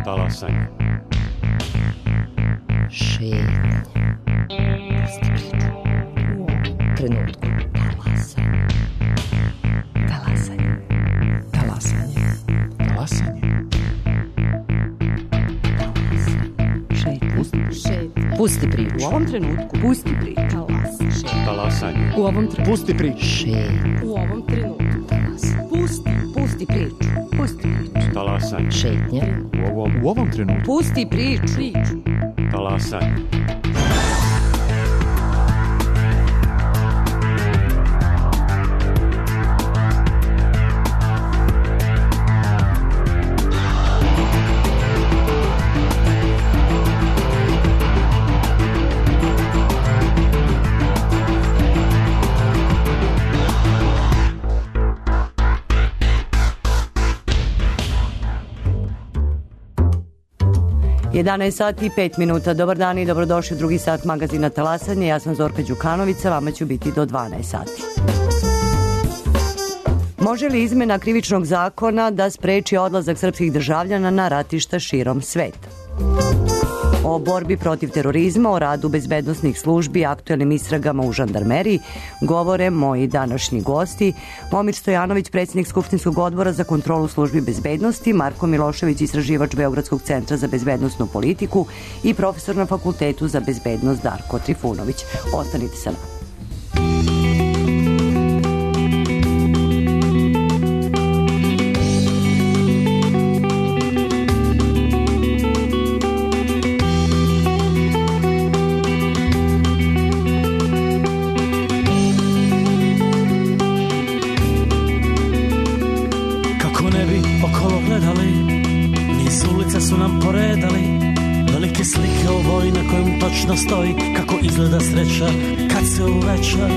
Talasanje. Šetnja. Pusti priču. U ovom trenutku. Talasanje. Talasanje. Talasanje. Šetnja. Pusti priču. U ovom trenutku. Pusti priču. Talasanje. U ovom trenutku. Pusti priču. Šetnja. U ovom trenutku. Pusti priču. Pusti priču. Talasanje. Šetnja. U ovom trenutku. Pusti priču. Talasanje. Jedanaest sati i 5 minuta. Dobar dan i dobrodošli u drugi sat magazina Talasanje. Ja sam Zorka Đukanovica, vama ću biti do 12 sati. Može li izmena krivičnog zakona da spreči odlazak srpskih državljana na ratišta širom sveta? O borbi protiv terorizma, o radu bezbednosnih službi, aktuelnim istragama u žandarmeriji govore moji današnji gosti. Momir Stojanović, predsjednik Skupštinskog odbora za kontrolu službi bezbednosti, Marko Milošević, istraživač Beogradskog centra za bezbednosnu politiku i profesor na Fakultetu za bezbednost Darko Trifunović. Ostanite sa nama. Točno stoji kako izgleda sreća kad se uveća.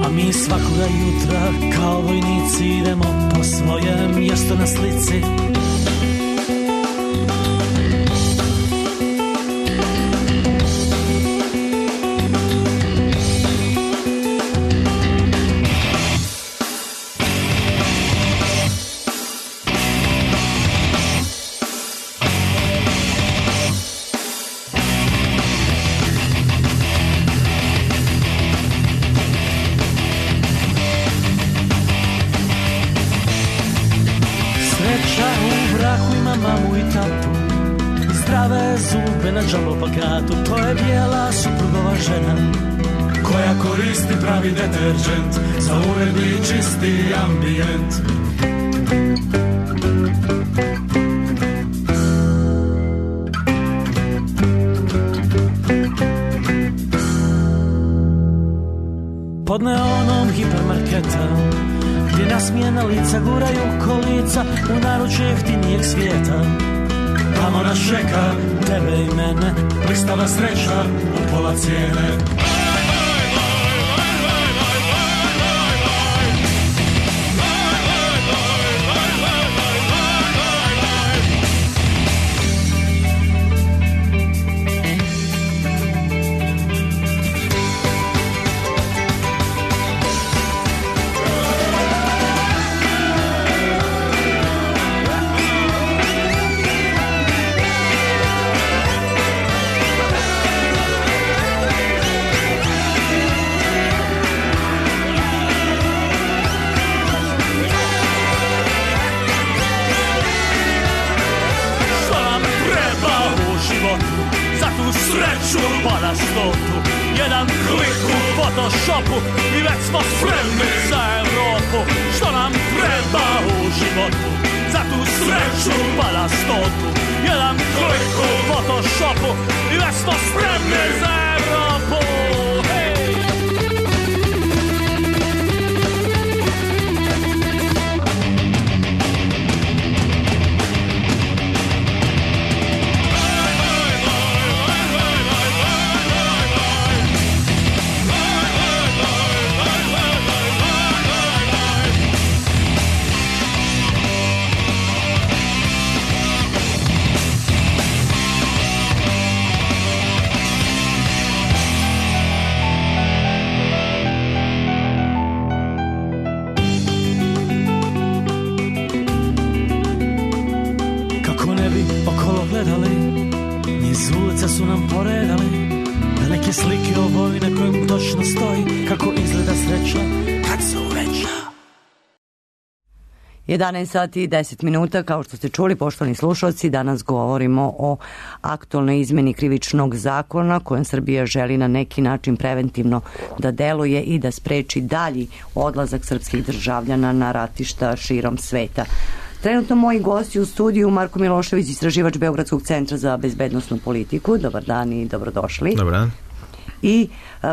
A mi svakoga jutra kao vojnici idemo po svojem mjestu na slici. Na džalopakatu, to je bijela suprugova žena koja koristi pravi deterđent za uredni čisti ambijent. Pod neonom hipermarketa gdje nasmijena lica guraju kolica u naručje jeftinijeg svijeta. Tamo nas čeka tebe i mene, blistava sreća u pola cijene. Sreću pa stotu, jedan klik u Photoshopu i već smo spremni za Evropu. Što nam treba u životu, za tu sreću pa stotu, jedan klik u Photoshopu i već smo spremni za Evropu. Hey! se slike o vojni na kojem točno stoji kako izgleda sreća kad se uveća. 11 sati i 10 minuta, kao što ste čuli, poštovani slušalci, danas govorimo o aktualnoj izmeni krivičnog zakona kojom Srbija želi na neki način preventivno da deluje i da spreči dalji odlazak srpskih državljana na ratišta širom sveta. Trenutno moji gosti u studiju Marko Milošević, istraživač Beogradskog centra za bezbednosnu politiku. Dobar dan i dobrodošli. Dobar dan. I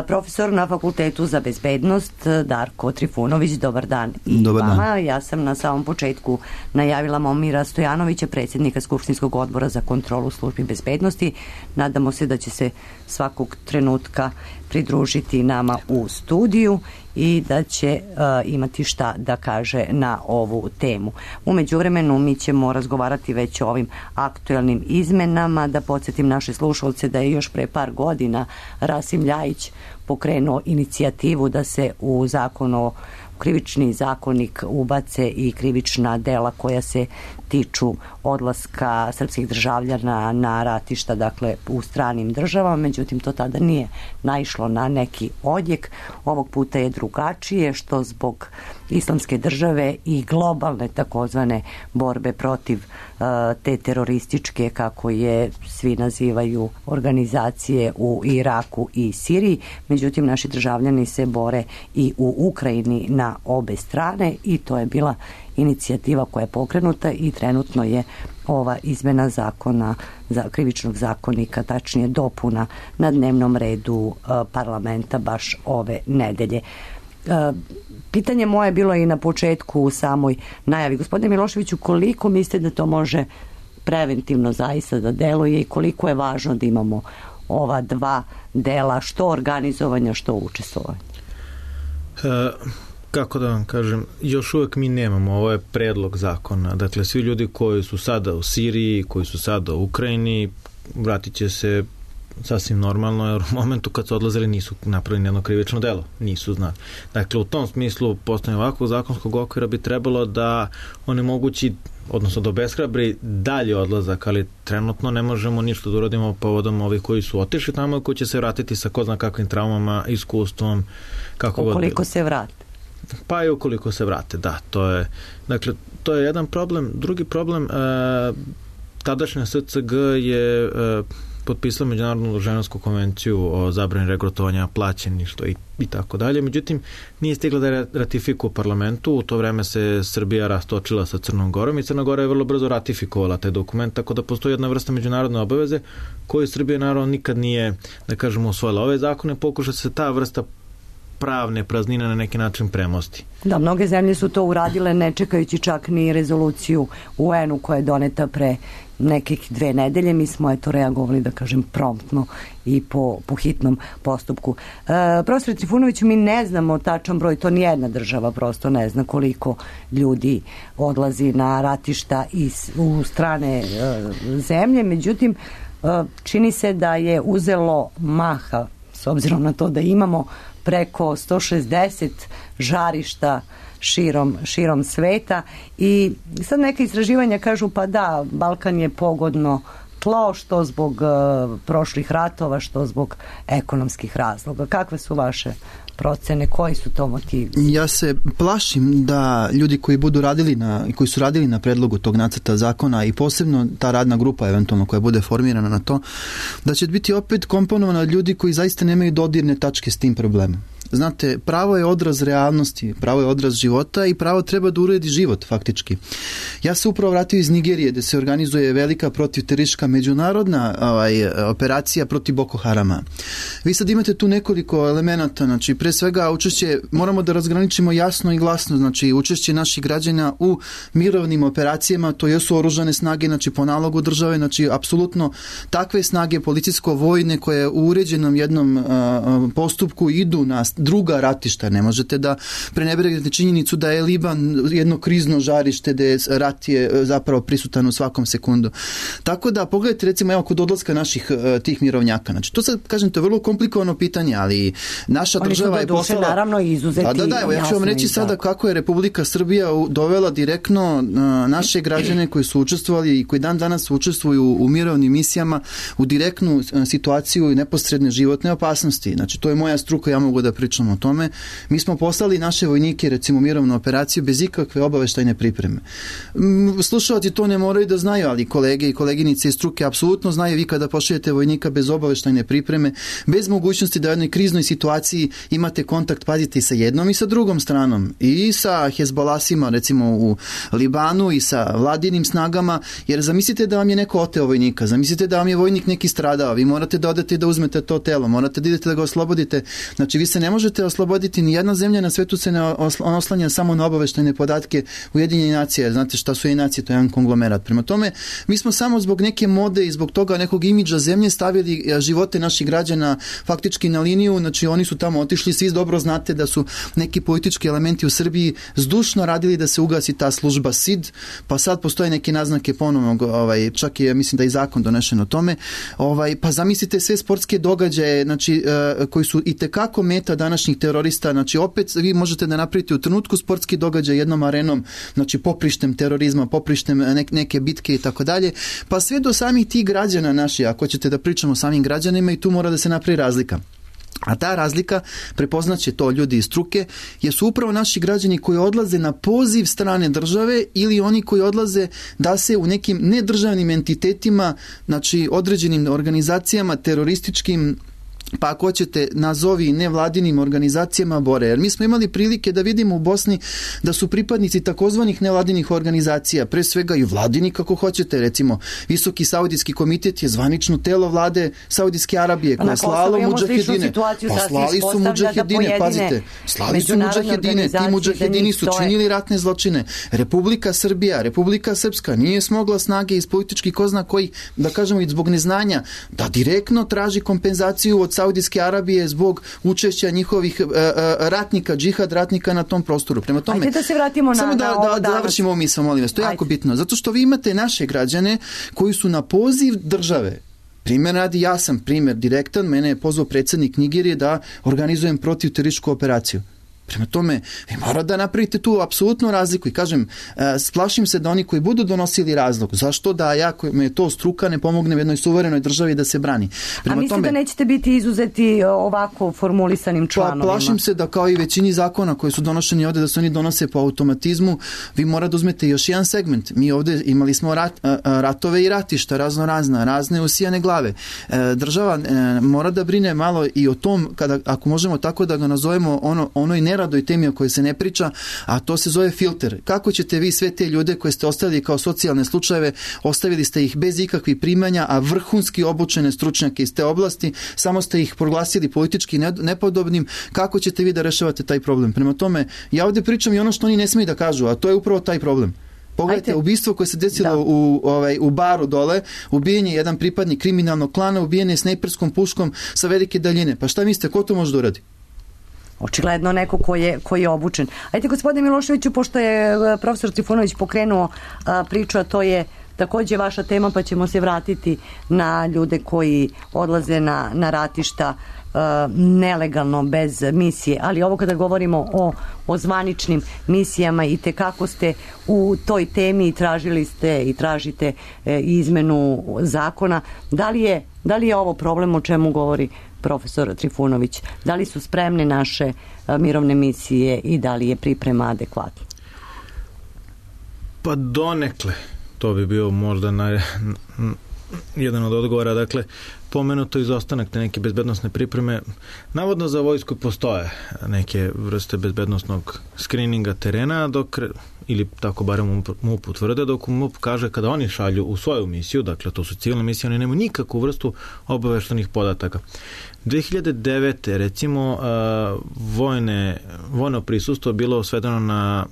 profesor na Fakultetu za bezbednost Darko Trifunović. Dobar dan i vama. Ja sam na samom početku najavila Momira Stojanovića, predsjednika Skupštinskog odbora za kontrolu službi bezbednosti. Nadamo se da će se svakog trenutka pridružiti nama u studiju i da će imati šta da kaže na ovu temu. U međuvremenu mi ćemo razgovarati već o ovim aktualnim izmenama. Da podsjetim naše slušalce da je još pre par godina Rasim Ljajić pokrenuo inicijativu da se u krivični zakonik ubace i krivična dela koja se tiču odlaska srpskih državljana na ratišta, dakle u stranim državama, međutim to tada nije naišlo na neki odjek. Ovog puta je drugačije, što zbog islamske države i globalne takozvane borbe protiv te terorističke, kako je svi nazivaju, organizacije u Iraku i Siriji. Međutim, naši državljani se bore i u Ukrajini na obe strane i to je bila inicijativa koja je pokrenuta i trenutno je ova izmena zakona za krivičnog zakonika, tačnije dopuna, na dnevnom redu parlamenta baš ove nedelje. Pitanje moje bilo i na početku u samoj najavi. Gospodine Miloševiću, koliko mislite da to može preventivno zaista da deluje i koliko je važno da imamo ova dva dela, što organizovanja, što učestvovanja? Kako da vam kažem, još uvek mi nemamo, ovo je predlog zakona. Dakle, svi ljudi koji su sada u Siriji, koji su sada u Ukrajini, vratit će se sasvim normalno, jer u momentu kad su odlazili nisu napravili jedno krivično delo, nisu znali. Dakle, u tom smislu postavljanje ovakvog zakonskog okvira bi trebalo da onemogući, odnosno da obeshrabri dalje odlazak, ali trenutno ne možemo ništa da uradimo povodom ovih koji su otišli tamo i koji će se vratiti sa ko zna kakvim traumama, iskustvom, kako god bilo. Ukoliko se vrate. Pa i ukoliko se vrate, da, to je jedan problem. Drugi problem, tadašnja SCG je potpisala Međunarodnu ženevsku konvenciju o zabrani regrutovanja, plaćeništva i tako dalje. Međutim, nije stigla da ratifikuje u parlamentu. U to vreme se Srbija rastočila sa Crnom Gorom i Crna Gora je vrlo brzo ratifikovala taj dokument, tako da postoji jedna vrsta međunarodne obaveze koju Srbija naravno nikad nije, da kažemo, usvojila. Ove zakone pokuša se ta vrsta pravne praznine na neki način premosti. Da, mnoge zemlje su to uradile ne čekajući čak ni rezoluciju UN-u koja je doneta pre nekih 2 nedelje. Mi smo reagovali, da kažem, promptno i po hitnom postupku. Profesor Trifunoviću, mi ne znamo tačan broj, to nijedna država prosto ne zna koliko ljudi odlazi na ratišta u strane zemlje, međutim čini se da je uzelo maha, s obzirom na to da imamo preko 160 žarišta širom sveta i sad neka istraživanja kažu pa da, Balkan je pogodno tlo, što zbog prošlih ratova, što zbog ekonomskih razloga. Kakve su vaše procene, koji su to motivi? Ja se plašim da ljudi koji su radili na predlogu tog nacrta zakona i posebno ta radna grupa eventualno koja bude formirana na to, da će biti opet komponovana od ljudi koji zaista nemaju dodirne tačke s tim problemom. Znate, pravo je odraz realnosti, pravo je odraz života i pravo treba da uredi život, faktički. Ja se upravo vratio iz Nigerije, gde se organizuje velika protivteroristička međunarodna operacija protiv Boko Harama. Vi sad imate tu nekoliko elemenata, znači pre svega učešće, moramo da razgraničimo jasno i glasno, znači učešće naših građana u mirovnim operacijama, to jesu oružane snage, znači po nalogu države, znači apsolutno takve snage policijsko-vojne koje u uređenom jednom postupku idu druga ratišta. Ne možete da prenebregnete činjenicu da je Liban jedno krizno žarište gde rat je zapravo prisutan u svakom sekundu. Tako da pogledajte recimo evo kod odlaska naših tih mirovnjaka. Znači to sad kažem to je vrlo komplikovano pitanje, ali naša država je poslala... naravno izuzeti. Evo, ja ću vam reći sada kako je Republika Srbija dovela direktno naše građane koji su učestvovali i koji dan danas učestvuju u mirovnim misijama u direktnu situaciju i neposredne životne opasnosti. Znači to je moja struka, ja mogu da pričam o tome. Mi smo poslali naše vojnike recimo u mirovnu operaciju bez ikakve obaveštajne pripreme. Slušalci to ne moraju da znaju, ali kolege i koleginice iz struke apsolutno znaju. Vi kada pošaljete vojnika bez obaveštajne pripreme, bez mogućnosti da u jednoj kriznoj situaciji imate kontakt, pazite, i sa jednom i sa drugom stranom, i sa Hezbolasima recimo u Libanu i sa vladinim snagama, jer zamislite da vam je neko oteo vojnika, zamislite da vam je vojnik neki stradao, vi morate da odete da uzmete to telo, morate da idete da ga oslobodite. Znači vi se ne možete osloboditi, ni jedna zemlja na svetu se ne oslanja samo na obaveštajne podatke Ujedinjenih nacija, znate šta su Ujedinjene nacije, to je jedan konglomerat. Prema tome, mi smo samo zbog neke mode i zbog toga nekog imidža zemlje stavili živote naših građana faktički na liniju, znači oni su tamo otišli, svi dobro znate da su neki politički elementi u Srbiji zdušno radili da se ugasi ta služba SID, pa sad postoje neke naznake ponovnog, čak je, mislim da i zakon donešen o tome, pa zamislite sve sportske događaje, znači, koji su itekako meta današnjih terorista, znači opet vi možete da napravite u trenutku sportski događaj jednom arenom, znači poprištem terorizma, poprištem neke bitke i tako dalje, pa sve do samih tih građana naših, ako ćete da pričamo o samim građanima, i tu mora da se napravi razlika. A ta razlika, prepoznaće to ljudi iz struke, jesu upravo naši građani koji odlaze na poziv strane države ili oni koji odlaze da se u nekim nedržavnim entitetima, znači određenim organizacijama, terorističkim, pa ako hoćete nazovi nevladinim organizacijama bore. Jer mi smo imali prilike da vidimo u Bosni da su pripadnici takozvanih nevladinih organizacija, pre svega i vladini kako hoćete, recimo Visoki saudijski komitet je zvanično telo vlade Saudijske Arabije koja je slalo mudžahedine. Pa slali su mudžahedine, pazite, slali su mudžahedine, ti mudžahedini su činili ratne zločine. Republika Srbija, Republika Srpska nije smogla snage iz političkih ko zna kojih, da kažemo i zbog neznanja, da direktno traži kompenzaciju od Saudijske Arabije zbog učešća njihovih ratnika, džihad ratnika na tom prostoru. Prema tome, ajde da se vratimo samo da završimo ovu misao, molim vas. To je jako bitno. Zato što vi imate naše građane koji su na poziv države. Primjer radi, ja sam primjer direktan, mene je pozvao predsjednik Nigerije da organizujem protivterorističku operaciju. Prema tome, vi morate da napravite tu apsolutnu razliku i kažem, splašim se da oni koji budu donosili razlog, zašto da ja, koji me je to struka, ne pomogne u jednoj suverenoj državi da se brani. Prema a mislite da nećete biti izuzeti ovako formulisanim članovima? Plašim se da kao i većini zakona koji su donošeni ovde, da se oni donose po automatizmu, vi morate da uzmete još jedan segment. Mi ovde imali smo ratove i ratišta, razne usijane glave. Država mora da brine malo i o tom, ako možemo tako da ga nazovemo, onoj neradoj temi o kojoj se ne priča, a to se zove filter. Kako ćete vi sve te ljude koje ste ostavili kao socijalne slučajeve, ostavili ste ih bez ikakvih primanja, a vrhunski obučene stručnjake iz te oblasti, samo ste ih proglasili politički nepodobnim, kako ćete vi da rešavate taj problem? Prema tome, ja ovdje pričam i ono što oni ne smiju da kažu, a to je upravo taj problem. Pogledajte, ubistvo koje se desilo u baru dole, ubijen je jedan pripadnik kriminalnog klana, ubijen je snajperskom puškom sa velike daljine. Pa šta mislite, ko to može da uradi? Očigledno neko koji je obučen. Ajde, gospodine Miloševiću, pošto je profesor Trifunović pokrenuo priču, a to je takođe vaša tema, pa ćemo se vratiti na ljude koji odlaze na ratišta nelegalno, bez misije, ali ovo kada govorimo o zvaničnim misijama, i tekako ste u toj temi i tražili ste i tražite izmenu zakona. Da li je ovo problem o čemu govori profesor Trifunović? Da li su spremne naše mirovne misije i da li je priprema adekvatna? Pa donekle. To bi bio možda jedan od odgovora. Dakle, pomenuto izostanak te neke bezbednostne pripreme. Navodno za vojsku postoje neke vrste bezbednostnog skrininga terena, ili tako barem MUP utvrde, dok MUP kaže kada oni šalju u svoju misiju, dakle to su civilne misije, oni nemaju nikakvu vrstu obaveštenih podataka. 2009. recimo vojno prisustvo bilo svedeno na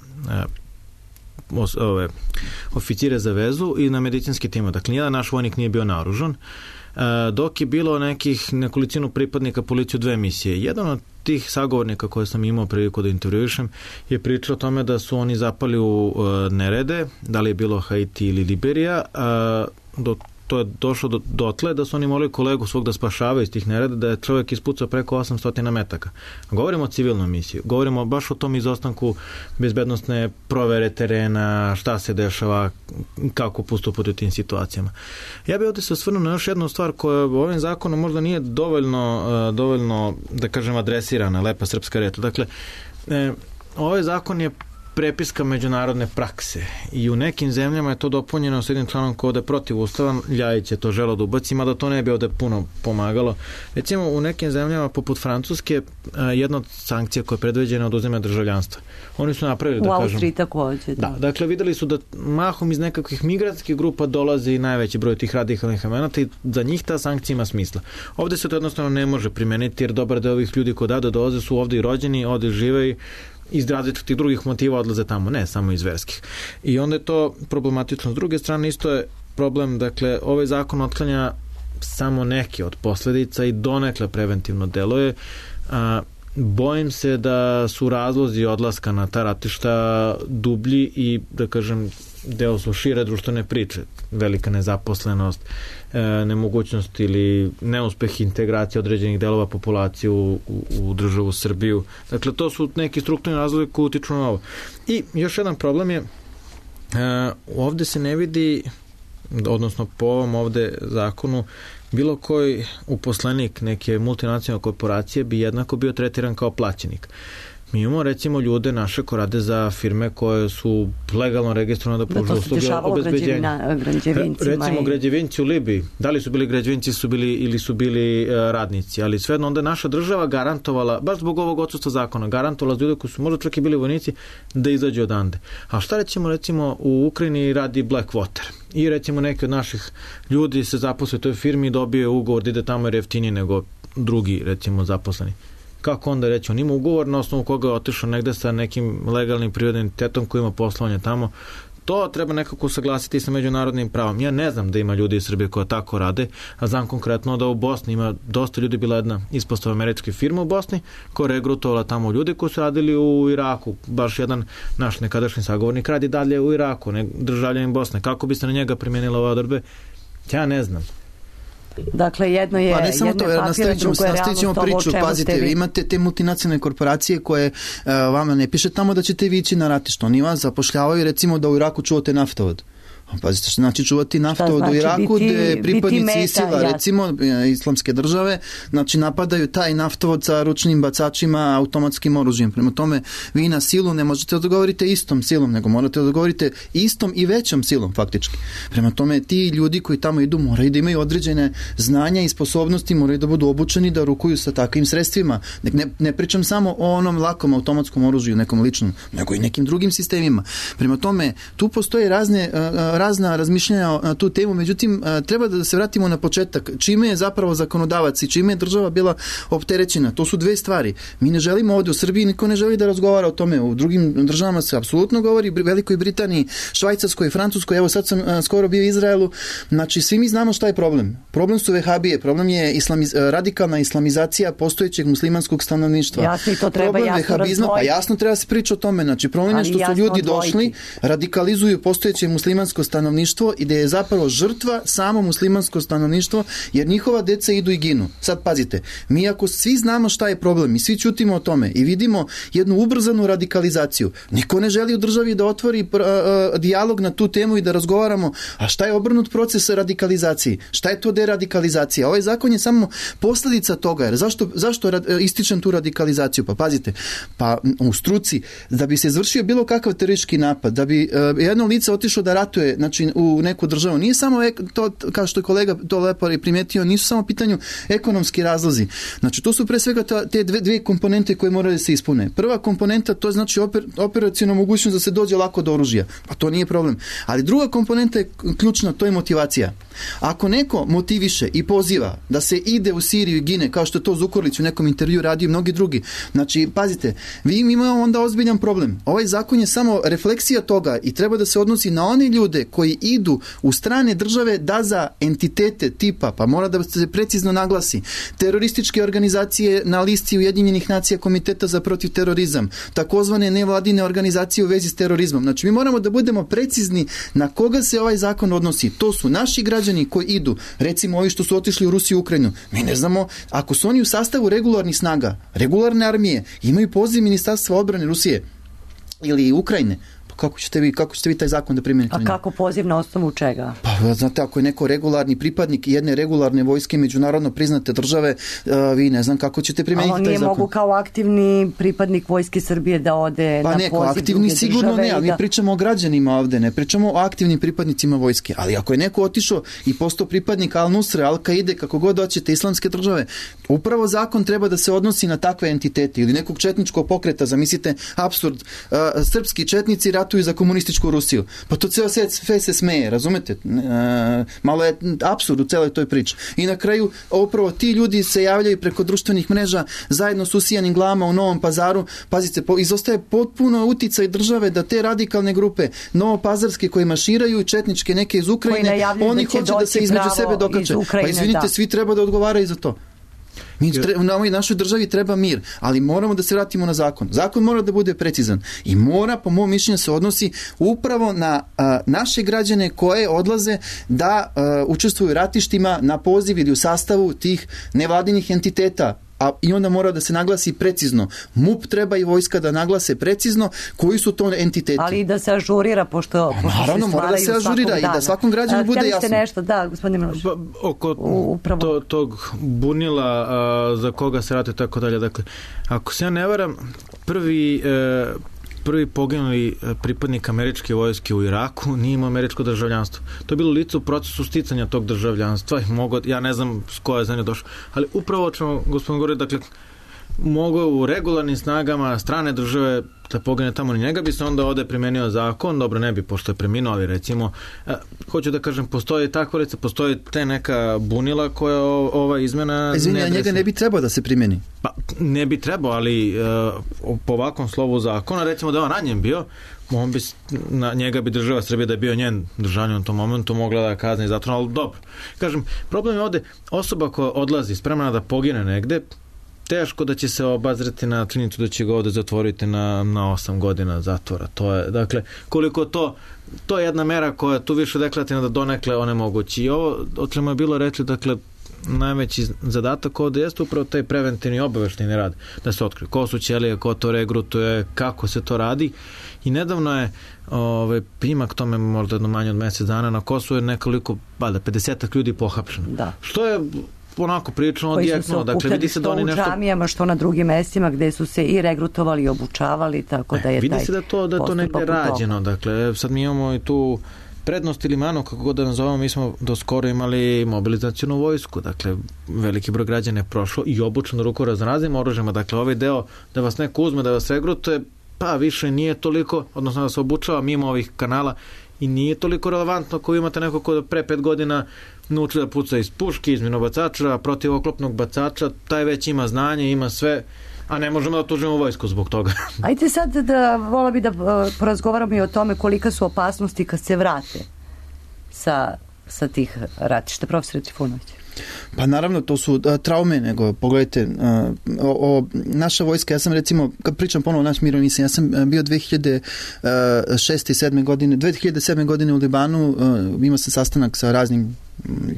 oficire za vezu i na medicinski tim. Dakle, nijedan naš vojnik nije bio naoružan, dok je bilo nekolicinu pripadnika policije u 2 misije. Jedan od tih sagovornika koje sam imao priliku da intervjuišem je pričao o tome da su oni zapali u nerede, da li je bilo Haiti ili Liberija, to je došlo dotle da su oni molili kolegu svog da spašavaju iz tih nereda, da je čovjek ispucao preko 800 metaka. Govorimo o civilnoj misiji, govorimo baš o tom izostanku bezbednosne provere terena, šta se dešava, kako postupati u tim situacijama. Ja bih ovdje se osvrnuo na još jednu stvar koja ovim zakonom možda nije dovoljno da kažem, adresirana, lepa srpska reč. Dakle, ovaj zakon je prepiska međunarodne prakse i u nekim zemljama je to dopunjeno s jednim članom koji je protiv ustava. Ljajić je to želeo da ubaci, mada to ne bi ovde puno pomagalo. Recimo u nekim zemljama poput Francuske jedna od sankcija koja je predviđena od oduzimanja državljanstva. Oni su napravili, da kažem... U Austriji takođe. Da, dakle videli su da mahom iz nekakvih migratskih grupa dolazi najveći broj tih radikalnih elemenata i za njih ta sankcija ima smisla. Ovde se to jednostavno ne može primeniti jer dobar deo ovih ljudi koji dolaze su ovde i rođeni, ovde žive i iz različitih drugih motiva odlaze tamo, ne samo iz verskih. I onda je to problematično. S druge strane isto je problem, dakle, ovaj zakon otklanja samo neke od posledica i donekle preventivno deluje. Bojim se da su razlozi odlaska na ta ratišta dublji i, da kažem, deo su šire društvene priče. Velika nezaposlenost, nemogućnost ili neuspeh integracije određenih delova populacije u državu Srbiju. Dakle, to su neki strukturni razlozi koji utiču na ovo. I još jedan problem je, ovde se ne vidi, odnosno po ovom ovde zakonu, bilo koji uposlenik neke multinacionalne korporacije bi jednako bio tretiran kao plaćenik. Mi imamo recimo ljude naše koji rade za firme koje su legalno registrovane da pružaju usluge obezbeđenja. Recimo građevinci u Libiji. Da li su bili građevinci ili su bili radnici, ali svejedno onda je naša država garantovala, baš zbog ovog odsustva zakona, garantovala za ljude koji su možda čak i bili vojnici da izađu odande. A šta recimo u Ukrajini radi Blackwater? I recimo neki od naših ljudi se zaposle u toj firmi i dobije ugovor da ide tamo jer je jeftiniji nego drugi recimo zaposleni. Kako onda reći, on ima ugovor na osnovu koga je otišao negde sa nekim legalnim prirodnim entitetom koji ima poslovanje tamo. To treba nekako saglasiti sa međunarodnim pravom. Ja ne znam da ima ljudi iz Srbije koja tako rade, a znam konkretno da u Bosni ima dosta ljudi, bila jedna ispostava američke firme u Bosni koja je regrutovala tamo ljudi koji su radili u Iraku. Baš jedan naš nekadašnji sagovornik radi dalje u Iraku, državljanin Bosne. Kako bi se na njega primijenila ove odredbe? Ja ne znam. Dakle, jedno je papir, drugo je realnost ovo o čemu pazite, ste vi. Imate te multinacionalne korporacije koje vama ne piše tamo da ćete vi ići na ratište. Oni vas zapošljavaju recimo da u Iraku čuvate naftovod. Pazite, što znači čuvati naftovod u Iraku gde pripadnici ISIL-a, recimo islamske države, znači napadaju taj naftovod sa ručnim bacačima, automatskim oružjem. Prema tome, vi na silu ne možete odgovoriti istom silom, nego morate odgovoriti istom i većom silom, faktički. Prema tome, ti ljudi koji tamo idu moraju da imaju određene znanja i sposobnosti, moraju da budu obučeni da rukuju sa takvim sredstvima. Ne pričam samo o onom lakom automatskom oružju, nekom ličnom, nego i nekim drugim sistemima. Prema tome, tu postoje razna razmišljanja na tu temu, međutim treba da se vratimo na početak. Čime je zapravo zakonodavac i čime je država bila opterećena? To su dve stvari. Mi ne želimo ovdje u Srbiji, niko ne želi da razgovara o tome. U drugim državama se apsolutno govori, Velikoj Britaniji, Švajcarskoj, Francuskoj, evo sad sam skoro bio u Izraelu. Znači, svi mi znamo šta je problem. Problem su vehabije, problem je radikalna islamizacija postojećeg muslimanskog stanovništva. Jasno, to treba problem jasno razdvojiti. Pa jasno treba se priča o tome. Znači, problem je što su ljudi došli, radikalizuju postojeće muslimansko stanovništvo i da je zapravo žrtva samo muslimansko stanovništvo, jer njihova deca idu i ginu. Sad pazite, mi ako svi znamo šta je problem i svi ćutimo o tome i vidimo jednu ubrzanu radikalizaciju, niko ne želi u državi da otvori dijalog na tu temu i da razgovaramo, a šta je obrnut proces radikalizacije? Šta je to deradikalizacija? Ovaj zakon je samo posljedica toga, jer zašto ističem tu radikalizaciju? Pa pazite, pa u struci, da bi se izvršio bilo kakav teroristički napad, da bi jedno lice otišlo da ratuje, znači u neku državu, nije samo to, kao što je kolega to lepo primijetio, nisu samo pitanju ekonomski razlozi. Znači, to su pre svega te dve komponente koje moraju da se ispune. Prva komponenta, to znači operacionalna mogućnost da se dođe lako do oružja. Pa to nije problem. Ali druga komponenta je ključna, to je motivacija. Ako neko motiviše i poziva da se ide u Siriju i gine, kao što je to Zukorlić u nekom intervju radio i mnogi drugi, znači, pazite, vi imamo onda ozbiljan problem. Ovaj zakon je samo refleksija toga i treba da se odnosi na one ljude koji idu u strane države da za entitete tipa, pa mora da se precizno naglasi, terorističke organizacije na listi Ujedinjenih nacija Komiteta za protiv terorizam, takozvane nevladine organizacije u vezi s terorizmom. Znači, mi moramo da budemo precizni na koga se ovaj zakon odnosi. To su naši građani koji idu, recimo ovi što su otišli u Rusiju i Ukrajinu. Mi ne znamo, ako su oni u sastavu regularnih snaga, regularne armije, imaju poziv Ministarstva odbrane Rusije ili Ukrajine, kako ćete vi taj zakon da primijenite? A kako poziv na osnovu čega? Pa, znate, ako je neko regularni pripadnik jedne regularne vojske međunarodno priznate države, vi ne znam kako ćete primijeniti taj zakon. Ali on nije mogu kao aktivni pripadnik Vojske Srbije da ode na poziv druge države? Pa ne, aktivni sigurno ne, ali mi pričamo o građanima ovde, ne pričamo o aktivnim pripadnicima vojske. Ali ako je neko otišao i postao pripadnik Al-Nusre, Al-Kaide, kako god hoćete, islamske države, upravo zakon treba da se odnosi na takve entitete ili nekog četničkog pokreta, zamislite, apsurd, srpski četnici ratuju za komunističku Rusiju. Pa to ceo sve se smeje, razumete? Malo je apsurd u celoj toj priči. I na kraju, upravo ti ljudi se javljaju preko društvenih mreža zajedno s usijanim glavama u Novom Pazaru. Pazite, izostaje potpuno uticaj države da te radikalne grupe novopazarske koje maširaju, četničke neke iz Ukrajine, oni hoće da se između sebe dokače. Pa izvinite, svi treba da odgovaraju za to. Na ovoj našoj državi treba mir, ali moramo da se vratimo na zakon. Zakon mora da bude precizan i mora, po mom mišljenju, se odnosi upravo na naše građane koje odlaze da učestvuju u ratištima na poziv ili u sastavu tih nevladinih entiteta. I onda mora da se naglasi precizno. MUP treba i vojska da naglase precizno koji su to entiteti. Ali i da se ažurira, pošto naravno, mora da se ažurira i da svakom građanu bude jasno. Htjeli ste nešto, da, gospodine Miloš? Oko tog bunila za koga se radi tako dalje. Dakle, ako se ja ne varam, prvi poginuli pripadnik američke vojske u Iraku nije imao američko državljanstvo. To je bilo lice u procesu sticanja tog državljanstva. Ja ne znam s koje zemlje došlo, ali upravo o čemu gospodin govori, dakle, mogu u regularnim snagama strane države da pogine tamo, ni njega bi se onda ovde primenio zakon, dobro ne bi, pošto je preminuo, ali recimo, hoću da kažem, postoji takva lica, postoji te neka bunila koja ova izmena... Izvinja, njega ne bi trebao da se primeni. Pa, ne bi trebao, ali po ovakvom slovu zakona, recimo da on ranjen bio, njega bi država Srbije, da je bio njen državljanin u tom momentu, mogla da kazni zatvor, ali dobro. Kažem, problem je ovde osoba koja odlazi spremna da pogine negde, teško da će se obazreti na činjenicu da će ga ovde zatvoriti na 8 godina zatvora. To je, dakle, koliko to je jedna mera koja je tu više deklarativna da donekle onemogući. I ovo, o čemu je bilo reči, dakle, najveći zadatak ovde jeste upravo taj preventivni obaveštajni rad, da se otkrije ko su ćelije, ko to regrutuje, kako se to radi. I nedavno je primak tome, možda jedno manje od mesec dana, na Kosovu je nekoliko, 50 ljudi pohapšeno. Da. Što je onako prilično odjeknuo, dakle vidi se da oni nešto... Što u džamijama, što na drugim mestima gde su se i regrutovali i obučavali, tako da je vidi se da to negde rađeno, dakle sad mi imamo i tu prednost ili manu, kako god da nazovemo, mi smo do skoro imali mobilizacijonu vojsku, dakle veliki broj građana je prošlo i obučeno ruku raznoraznim oružjima, dakle ovaj deo da vas neko uzme, da vas regrutuje, pa više nije toliko, odnosno da se obučava mimo ovih kanala i nije toliko relevantno ako imate neko ko pre 5 godina nauči da puca iz puške, iz minobacača, protivoklopnog bacača, taj već ima znanje, ima sve, a ne možemo da tužimo vojsku zbog toga. Ajde sad vola bi da porazgovaramo i o tome kolika su opasnosti kad se vrate sa tih ratišta. Profesor Trifunović. Pa naravno, to su traume, nego pogledajte, naša vojska, ja sam recimo, kad pričam ponovo naš mirovni, ja sam bio 2006. i 2007. godine u Libanu, imao sam sastanak sa raznim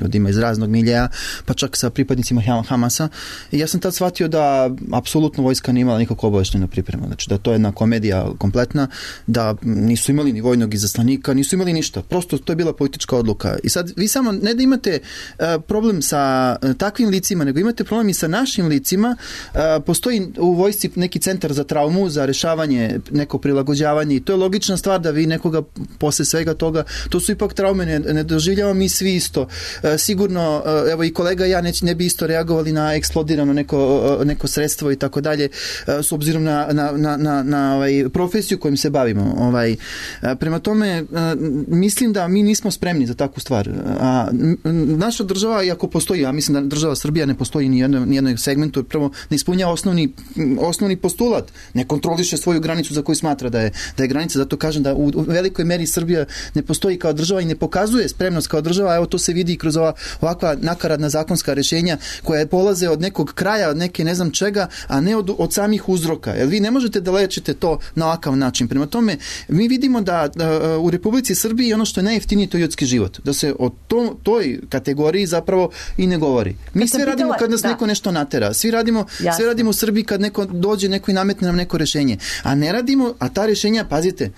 ljudima iz raznog miljeja, pa čak sa pripadnicima Hamasa. I ja sam tad shvatio da apsolutno vojska nije imala nikakvu obaveštenu pripremu. Znači da to je jedna komedija kompletna, da nisu imali ni vojnog izaslanika, nisu imali ništa. Prosto to je bila politička odluka. I sad vi samo ne da imate problem sa takvim licima, nego imate problem i sa našim licima. Postoji u vojsci neki centar za traumu, za rešavanje, neko prilagođavanje i to je logična stvar da vi nekoga posle svega toga, to su ipak traume, ne doživljavamo mi svi isto. sigurno, evo i kolega i ja ne bi isto reagovali na eksplodirano neko sredstvo i tako dalje, s obzirom na profesiju kojim se bavimo. Prema tome, mislim da mi nismo spremni za takvu stvar. Naša država, iako postoji, ja mislim da država Srbija ne postoji ni jednom segmentu, prvo ne ispunjava osnovni postulat, ne kontroliše svoju granicu za koju smatra da je granica, zato kažem da u velikoj meri Srbija ne postoji kao država i ne pokazuje spremnost kao država, evo to se vidi kroz ovakva nakaradna zakonska rješenja koja polaze od nekog kraja, od neke ne znam čega, a ne od samih uzroka. Jer vi ne možete da lečite to na ovakav način. Prema tome, mi vidimo da u Republici Srbiji ono što je najjeftinije to je ljudski život. Da se o toj kategoriji zapravo i ne govori. Mi sve radimo kad nas neko nešto natera. Svi radimo u Srbiji kad neko dođe, neko i nametne nam neko rješenje. A ne radimo, a ta rješenja, pazite,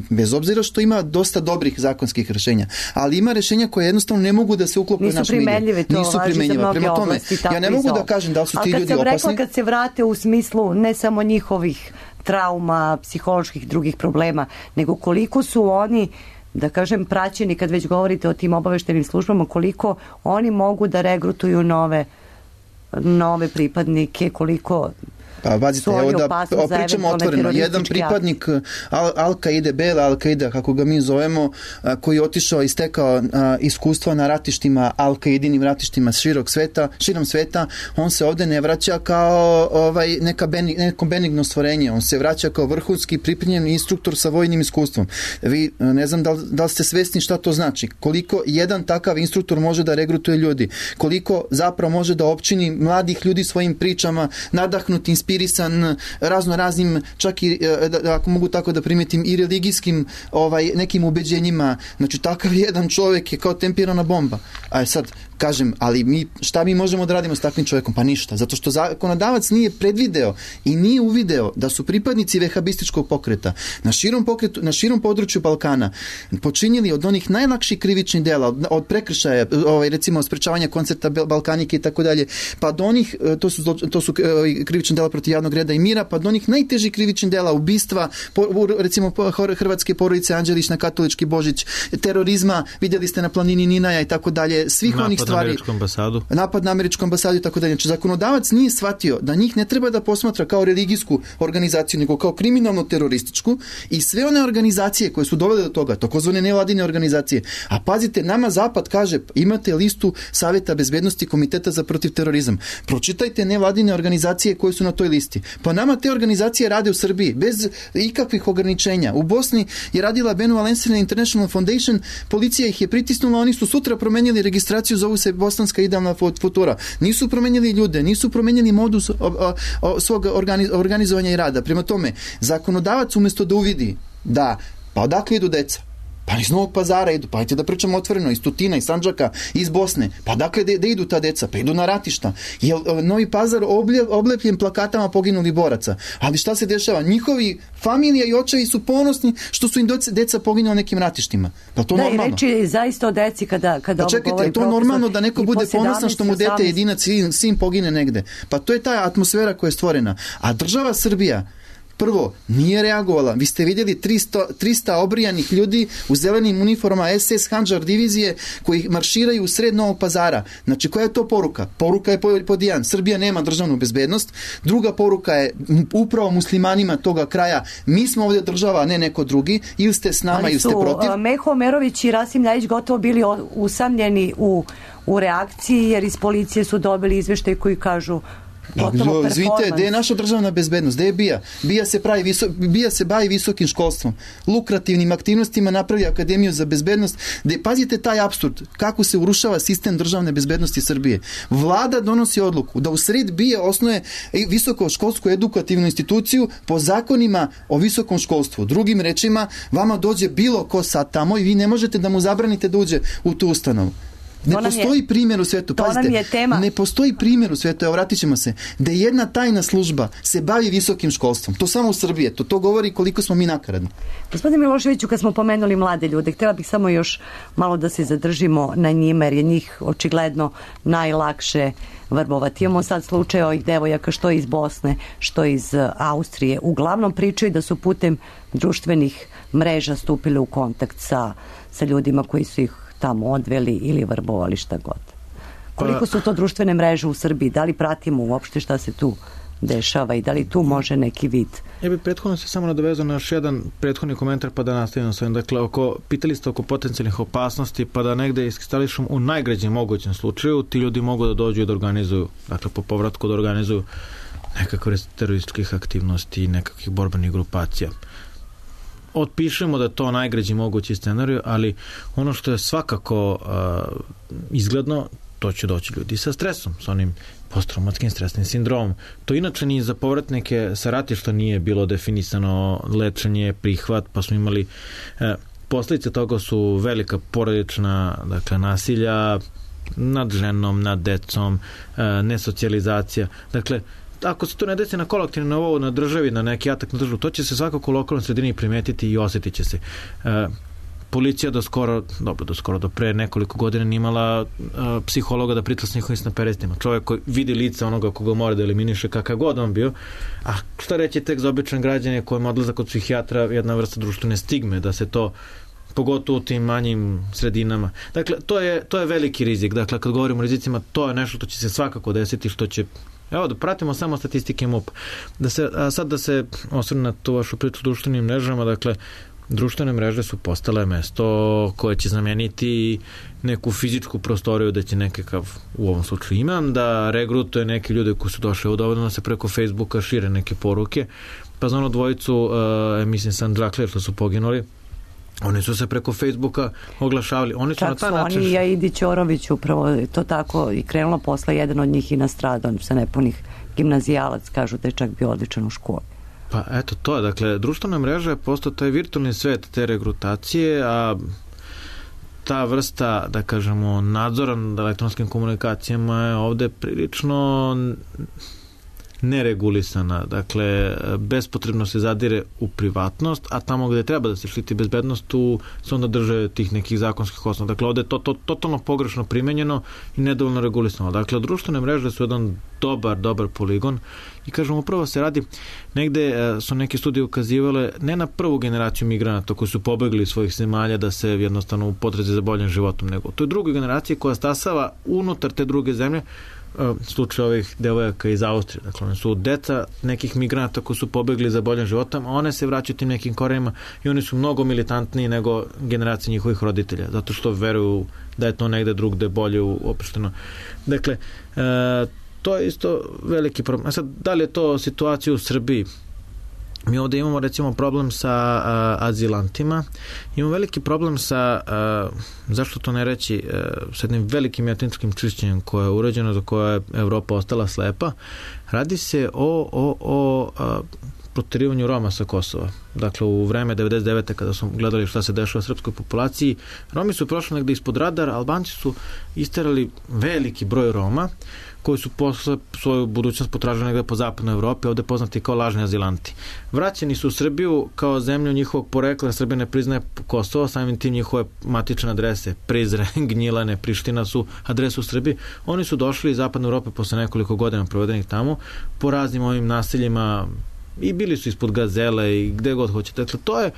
bez obzira što ima dosta dobrih zakonskih rješenja, ali ima rješenja koje jednostavno ne mogu da se uklope u naš milje. Nisu primenjiva. Prema tome, ja ne mogu da kažem da li su ti ljudi opasni. Kad se vrate u smislu ne samo njihovih trauma, psiholoških drugih problema, nego koliko su oni, da kažem, praćeni, kad već govorite o tim obaveštenim službama, koliko oni mogu da regrutuju nove pripadnike, koliko Pa vazite, evo da pričamo otvoreno. Jedan pripadnik Al-Kaide, Bela Al-Kaida, kako ga mi zovemo, koji je otišao i stekao iskustva na ratištima, Al-Kaidinim ratištima širom sveta, on se ovde ne vraća kao neko benigno stvorenje, on se vraća kao vrhunski pripremljen instruktor sa vojnim iskustvom. Vi, ne znam da li ste svesni šta to znači, koliko jedan takav instruktor može da regrutuje ljudi, koliko zapravo može da opčini mladih ljudi svojim pričama, nadahnuti, inspirisan raznim, čak i, ako mogu tako da primetim, i religijskim nekim ubeđenjima. Znači, takav jedan čovjek je kao tempirana bomba. A sad, kažem, ali šta mi možemo da radimo s takvim čovjekom? Pa ništa. Zato što zakonodavac nije predvideo i nije uvideo da su pripadnici vehabističkog pokreta na širom području Balkana počinili od onih najlakših krivičnih dela, od prekršaja, recimo sprečavanja koncerta Balkanike i tako dalje, pa do onih, to su krivične dela protiv javnog reda i mira, pa do onih najtežih krivičnih dela, ubistva, recimo hrvatske porodice Anđelić na katolički Božić, terorizma, vidjeli ste na planini Ninaja i tako dalje, svih onih stvari. Napad na američku ambasadu i tako dalje. Znači, zakonodavac nije shvatio da njih ne treba da posmatra kao religijsku organizaciju, nego kao kriminalno-terorističku, i sve one organizacije koje su dovele do toga, takozvane nevladine organizacije. A pazite, nama Zapad kaže, imate listu Saveta bezbednosti Komiteta za protiv terorizam. Pročitajte nevladine organizacije koje su na toj listi. Pa nama te organizacije rade u Srbiji bez ikakvih ograničenja. U Bosni je radila Benu Alensina International Foundation, policija ih je pritisnula, oni su sutra promenili registraciju, zovu se Bosanska idealna futura. Nisu promenili ljude, nisu promenili modus svog organizovanja i rada. Prema tome, zakonodavac umjesto da uvidi da, pa odakle idu deca? Pa iz Novog Pazara idu, pa ajte da pričamo otvoreno, iz Tutina, iz Sandžaka, iz Bosne. Pa dakle da idu ta deca? Pa idu na ratišta. Je Novi Pazar oblepljen plakatama poginulih boraca. Ali šta se dešava? Njihovi familija i očevi su ponosni što su im deca poginula nekim ratištima. Pa to normalno. Da, i reći zaista o deci kada pa ovo čekajte, govori profesor. To normalno da neko bude ponosan što mu dete jedinac sin pogine negde. Pa to je ta atmosfera koja je stvorena. A država Srbija prvo, nije reagovala. Vi ste vidjeli 300 obrijanih ljudi u zelenim uniformama SS Handžar divizije koji marširaju u sred Novog Pazara. Znači, koja je to poruka? Poruka je pod jedan. Srbija nema državnu bezbednost. Druga poruka je upravo muslimanima toga kraja. Mi smo ovdje država, a ne neko drugi. Ili ste s nama, ili ste protiv. Ali su Meho Omerović i Rasim Ljajić gotovo bili usamljeni u reakciji, jer iz policije su dobili izveštaj koji kažu Izvinite, gdje je naša državna bezbednost? Gdje je BIA? BIA se bavi visokim školstvom, lukrativnim aktivnostima, napravi Akademiju za bezbednost, gdje, pazite taj apsurd, kako se urušava sistem državne bezbednosti Srbije. Vlada donosi odluku da u sred BIA osnuje visokoškolsku edukativnu instituciju po zakonima o visokom školstvu. Drugim rečima, vama dođe bilo ko sad tamo i vi ne možete da mu zabranite da uđe u tu ustanovu. Ne postoji primjer u svijetu, pazite, ne postoji primjer u svijetu, evo vratit ćemo se, da jedna tajna služba se bavi visokim školstvom. To samo u Srbiji, to govori koliko smo mi nakaradni. Gospodine Miloševiću, kad smo pomenuli mlade ljude, htjela bih samo još malo da se zadržimo na njima, jer je njih očigledno najlakše vrbovati. Imamo sad slučaj ovih devojaka što iz Bosne, što iz Austrije. Uglavnom pričaju da su putem društvenih mreža stupili u kontakt sa ljudima koji su ih tamo odveli ili vrbovali, šta god. Koliko su to društvene mreže u Srbiji? Da li pratimo uopšte šta se tu dešava i da li tu može neki vid? Ja bih prethodno se samo nadovezao na još jedan prethodni komentar pa da nastavimo sa ovim. Dakle, pitali ste oko potencijalnih opasnosti, pa da negde iskristališem u najgrađem mogućem slučaju, ti ljudi mogu da dođu i da organizuju, dakle po povratku da organizuju nekakve terorističkih aktivnosti i nekakvih borbenih grupacija. Otpišemo da je to najgrađi mogući scenarij, ali ono što je svakako izgledno, to će doći ljudi sa stresom, sa onim posttraumatskim stresnim sindromom. To inače ni za povratnike sa ratišta nije bilo definisano lečenje, prihvat, pa smo imali posljedice toga su velika porodična, dakle, nasilja nad ženom, nad decom, nesocijalizacija. Dakle, ako se to ne desi na kolektivnom nivou, na državi, na neki atak na državu, to će se svakako u lokalnoj sredini primetiti i osjetit će se. Policija do pre nekoliko godina nije imala psihologa da priča s njihovim snaperestima. Čovjek koji vidi lice onoga koga mora da eliminiše, kakav god on bio. A šta reći tek za običan građane kojima odlazak kod psihijatra jedna vrsta društvene stigme, da se to pogotovo u tim manjim sredinama. Dakle, to je veliki rizik. Dakle, kad govorimo o rizicima, to je nešto što će se svakako desiti, što će. Evo, da pratimo samo statistike MUP. Sad da se osvrnem na tu vašu priču o društvenim mrežama, dakle, društvene mreže su postale mesto koje će zameniti neku fizičku prostoriju da će nekakav, u ovom slučaju imam, da regrutuje neke ljude koji su došli dovoljno da se preko Facebooka šire neke poruke. Pa za ono dvojicu, mislim San Džakler, što su poginuli, oni su se preko Facebooka oglašavali. Oni su čak na taj su način. Oni i Aidi Ćorović upravo to tako i krenulo posle, jedan od njih i nastradao, on se nepunih gimnazijalac, kažu da je čak bio odličan u školi. Pa eto to je, dakle, društvena mreža je postao taj virtualni svet te regrutacije, a ta vrsta, da kažemo, nadzora nad elektronskim komunikacijama je ovde prilično neregulisana. Dakle, bespotrebno se zadire u privatnost, a tamo gde treba da se štiti bezbednost, tu se onda drže tih nekih zakonskih osnova. Dakle, ovde je to totalno pogrešno primenjeno i nedovoljno regulisano. Dakle, društvene mreže su jedan dobar poligon i kažem, upravo se radi, negde su neke studije ukazivale ne na prvu generaciju migranata koji su pobegli iz svojih zemalja da se jednostavno u potrazi za boljim životom, nego toj drugoj generaciji koja stasava unutar te druge zemlje, slučaj ovih devojaka iz Austrije. Dakle, one su deca nekih migranata koji su pobegli za boljim životom, a one se vraćaju tim nekim korenima i oni su mnogo militantniji nego generacije njihovih roditelja, zato što veruju da je to negde drugde bolje uopšteno. Dakle, to je isto veliki problem. A sad, da li je to situacija u Srbiji? Mi ovdje imamo recimo problem sa azilantima, imamo veliki problem sa, zašto to ne reći, sa jednim velikim etničkim čišćenjem koje je urađeno, za koje je Evropa ostala slepa. Radi se o proterivanju Roma sa Kosova. Dakle, u vreme 99. kada smo gledali šta se dešava u srpskoj populaciji, Romi su prošli negde ispod radara, Albanci su isterali veliki broj Roma koji su posle svoju budućnost potražili negde po zapadnoj Evropi, ovde poznati kao lažni azilanti. Vraćeni su u Srbiju kao zemlju njihovog porekla, Srbija ne priznaje Kosovo, samim tim njihove matične adrese, Prizren, Gnjilane, Priština su adrese u Srbiji. Oni su došli iz zapadne Evrope posle nekoliko godina provedenih tamo, po raznim ovim naseljima i bili su ispod Gazele i gde god hoćete. Dakle,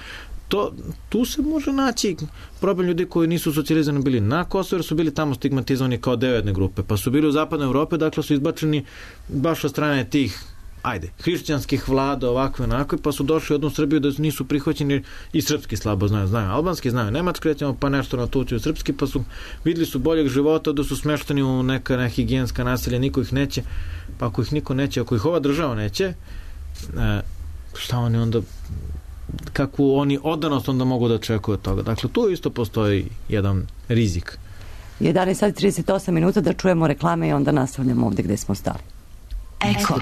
tu se može naći problem ljudi koji nisu socijalizovani bili na Kosovo, jer su bili tamo stigmatizovani kao deo jedne grupe, pa su bili u zapadnoj Evropi, dakle su izbačeni baš od strane tih hrišćanskih vlada, ovakve onakve, pa su došli u jednu Srbiju da nisu prihvaćeni i srpski slabo znaju, albanski znaju, nemački recimo, pa nešto na tući u srpski, pa su videli su boljeg života, da su smešteni u neka nehigijenska naselja, niko ih neće, pa ako ih niko neće, ako ih ova država neće, šta oni onda, kakvu oni odanost onda mogu da očekuju od toga. Dakle, tu isto postoji jedan rizik. 11:38 minuta da čujemo reklame i onda nastavljamo ovde gde smo stali. Eko.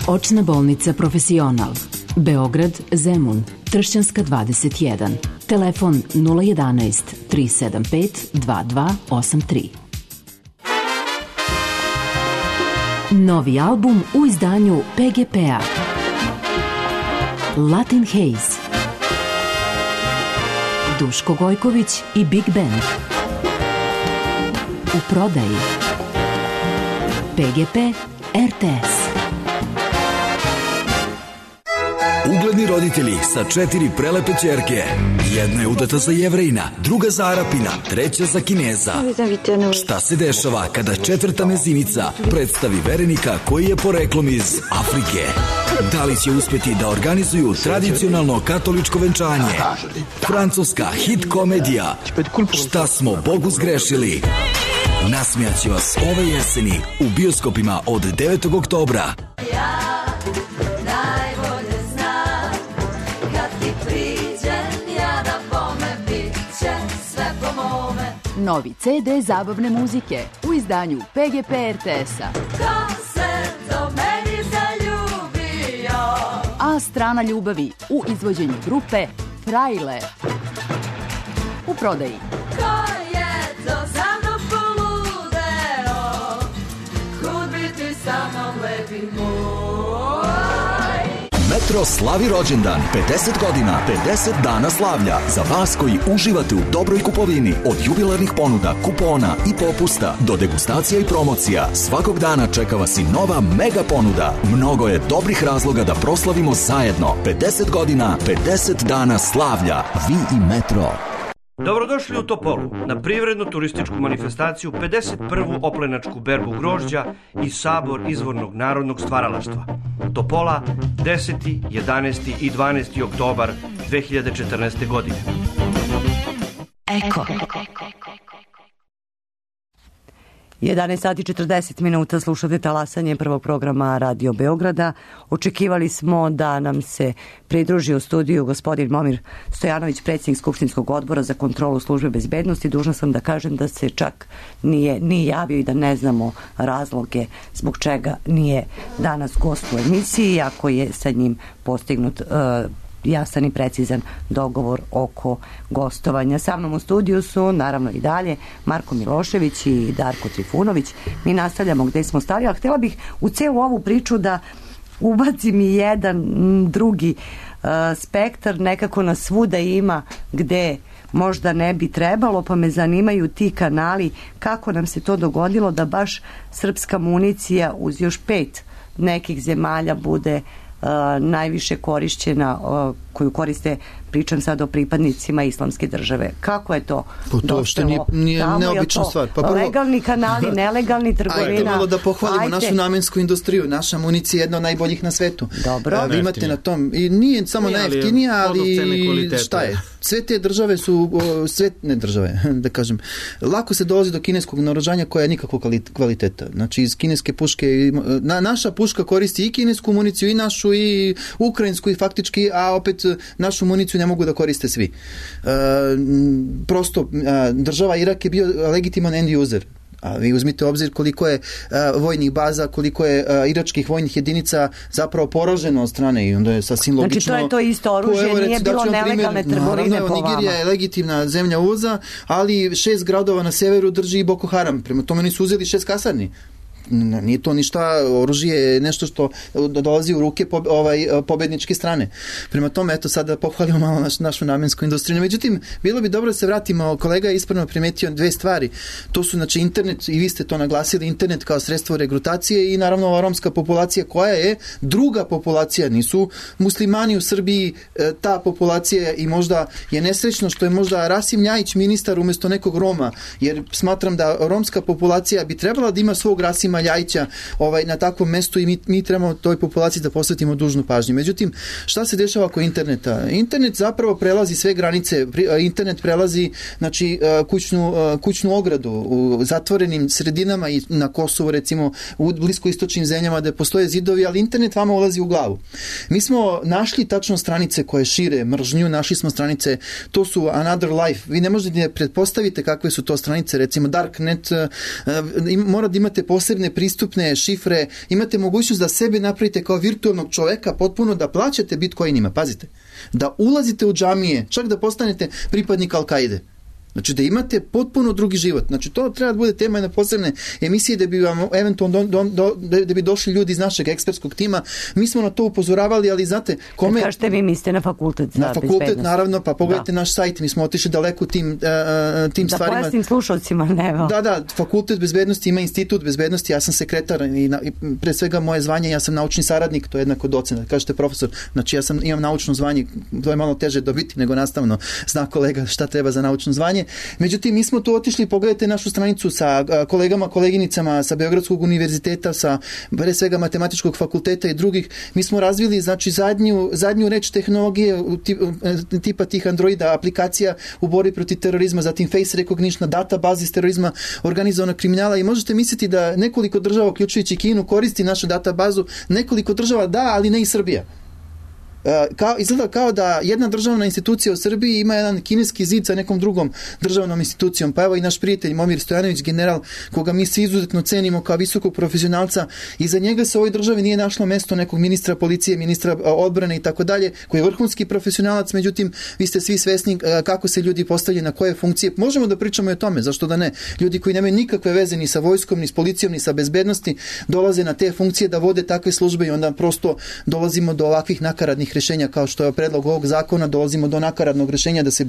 Očna bolnica Profesional. Beograd, Zemun, Tršćanska 21. Telefon 011 375 2283. Novi album u izdanju PGP-a. Latin Haze. Duško Gojković i Big Band. U prodaji. PGP RTS. Ugledni divni roditelji sa 4 prelepe ćerke. Jedna je udata za Jevrejina, druga za Arapina, treća za Kineza. Šta se dešava kada četvrta mezinica predstavi verenika koji je poreklom iz Afrike? Da li će uspjeti da organizuju tradicionalno katoličko venčanje? Francuska hit komedija Šta smo Bogu zgrešili? Nasmijaće vas ove jeseni u bioskopima od 9. oktobra. Novi CD zabavne muzike u izdanju PGP RTS-a. Ko se do meni zaljubio? A strana ljubavi u izvođenju grupe Frajle. U prodaji. Ko je to za mnom poludeo? Kud bi ti sa mnom lepi moj? Metro slavi rođendan, 50 godina, 50 dana slavlja. Za vas koji uživate u dobroj kupovini, od jubilarnih ponuda, kupona i popusta do degustacija i promocija, svakog dana čeka vas i nova mega ponuda. Mnogo je dobrih razloga da proslavimo zajedno. 50 godina, 50 dana slavlja. Vi i Metro. Dobrodošli u Topolu na privrednu turističku manifestaciju 51. oplenačku berbu grožđa i sabor izvornog narodnog stvaralaštva. Topola 10., 11. i 12. oktobar 2014. godine. Eko. 11 sati 40 minuta slušate talasanje prvog programa Radio Beograda. Očekivali smo da nam se pridruži u studiju gospodin Momir Stojanović, predsjednik Skupštinskog odbora za kontrolu službe bezbednosti. Dužna sam da kažem da se čak nije javio i da ne znamo razloge zbog čega nije danas gost u emisiji, ako je sa njim postignut jasan i precizan dogovor oko gostovanja. Sa mnom u studiju su naravno i dalje Marko Milošević i Darko Trifunović. Mi nastavljamo gde smo stali, ali htjela bih u celu ovu priču da ubacim i jedan drugi spektar, nekako nas svuda ima gde možda ne bi trebalo, pa me zanimaju ti kanali, kako nam se to dogodilo da baš srpska municija uz još 5 nekih zemalja bude najviše korišćena, koju koriste, pričam sad o pripadnicima islamske države. Kako je to? To uopšte nije neobična stvar. Pa prvo, legalni kanali, nelegalni trgovina. Ajde malo da pohvalimo našu namensku industriju. Naša municija je jedna od najboljih na svetu. Dobro. Vi imate na tom, i nije samo najjeftinija, ali šta je? Sve te države su, ne države, da kažem, lako se dolazi do kineskog naoružanja koja je nikakvog kvaliteta. Znači iz kineske puške, naša puška koristi i kinesku municiju, i našu, i ukrajinsku, i faktički, a opet našu municiju ne mogu da koriste svi. Prosto, država Irak je bio legitiman end user. A vi uzmite u obzir koliko je vojnih baza, koliko je iračkih vojnih jedinica zapravo poraženo od strane, i onda je sasvim logično. Znači to je to isto oružje, nije bilo nelegalne trgovine po vama. Nigerija je legitimna zemlja uvoza, ali 6 gradova na severu drži i Boko Haram. Prema tome nisu uzeli 6 kasarni. Nije to ništa, oružje je nešto što dolazi u ruke pobedničke strane. Prema tome, eto, sada pohvalimo malo našu namensku industriju. Međutim, bilo bi dobro da se vratimo, kolega je ispravno primetio 2 stvari. To su, znači, internet, i vi ste to naglasili, internet kao sredstvo regrutacije, i naravno ova romska populacija koja je druga populacija, nisu muslimani u Srbiji ta populacija, i možda je nesrećno što je možda Rasim Ljajić ministar umjesto nekog Roma, jer smatram da romska populacija bi trebala da ima svog Rasima Ljajića na takvom mestu, i mi trebamo toj populaciji da posvetimo dužnu pažnju. Međutim, šta se dešava oko interneta? Internet zapravo prelazi sve granice. Internet prelazi, znači, kućnu ogradu u zatvorenim sredinama, i na Kosovu, recimo, u bliskoistočnim zemljama da postoje zidovi, ali internet vama ulazi u glavu. Mi smo našli tačno stranice koje šire mržnju, našli smo stranice, to su Another Life. Vi ne možete da pretpostavite kakve su to stranice, recimo Darknet, mora da imate posebne pristupne šifre, imate mogućnost da sebe napravite kao virtualnog čoveka, potpuno da plaćate bitcoinima, pazite, da ulazite u džamije, čak da postanete pripadnik Al-Kaide. Znači da imate potpuno drugi život. Znači to treba da bude tema jedne posebne emisije da bi vam eventualno da bi došli ljudi iz našeg ekspertskog tima. Mi smo na to upozoravali, ali znate, kome... Kažete vi mislite na fakultet za bezbednost. Na fakultet, naravno, pa pogledajte naš sajt, mi smo otišli daleko tim stvarima. Da pojasnim slušalcima, ne. Da, fakultet bezbednosti ima institut bezbednosti, ja sam sekretar i pre svega moje zvanje, ja sam naučni saradnik, to je jednako docent, kažete profesor, znači ja imam naučno zvanje, to je malo teže dobiti nego nastavno, zna kolega šta treba za naučno zvanje. Međutim, mi smo tu otišli, pogledajte našu stranicu sa kolegama, koleginicama sa Beogradskog univerziteta, sa pre svega matematičkog fakulteta i drugih. Mi smo razvili, znači, zadnju reč tehnologije tipa tih Androida aplikacija u borbi protiv terorizma, zatim face recognition, databazi iz terorizma, organizovanog kriminala i možete misliti da nekoliko država, uključujući Kinu, koristi našu databazu, nekoliko država da, ali ne i Srbija. Izgleda kao da jedna državna institucija u Srbiji ima jedan kineski zid sa nekom drugom državnom institucijom. Pa evo i naš prijatelj Momir Stojanović, general, koga mi se izuzetno cenimo kao visokog profesionalca, i za njega se u ovoj državi nije našlo mesto nekog ministra policije, ministra odbrane i tako dalje, koji je vrhunski profesionalac. Međutim, vi ste svi svesni kako se ljudi postavljaju na koje funkcije. Možemo da pričamo i o tome, zašto da ne? Ljudi koji nemaju nikakve veze ni sa vojskom, ni s policijom, ni sa bezbednosti, dolaze na te funkcije da vode takve službe i onda prosto dolazimo do ovakvih nakaradnih rešenja kao što je predlog ovog zakona, dolazimo do nakaradnog rešenja da se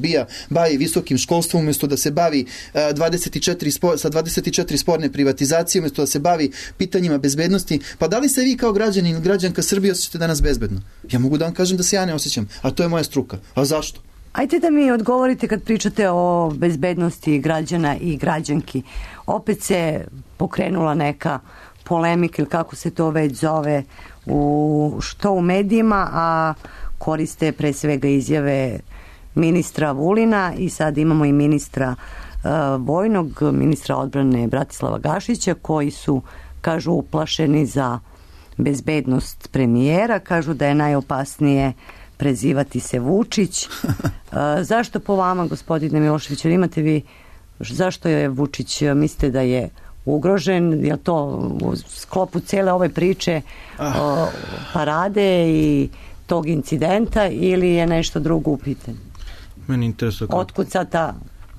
bavi visokim školstvom umjesto da se bavi 24 sporne privatizacije, umjesto da se bavi pitanjima bezbednosti. Pa da li se vi kao građanin ili građanka Srbije osjećate danas bezbedno? Ja mogu da vam kažem da se ja ne osjećam, a to je moja struka. A zašto? Ajde da mi odgovorite kad pričate o bezbednosti građana i građanki. Opet se pokrenula neka polemika ili kako se to već zove što u medijima, a koriste pre svega izjave ministra Vulina i sad imamo i ministra vojnog, ministra odbrane Bratislava Gašića, koji su, kažu, uplašeni za bezbednost premijera, kažu da je najopasnije prezivati se Vučić. Zašto po vama, gospodine Milošević, imate vi, zašto je Vučić, mislite da je ugrožen, je to u sklopu cele ove priče parade i tog incidenta ili je nešto drugo u pitanju? Meni interesuje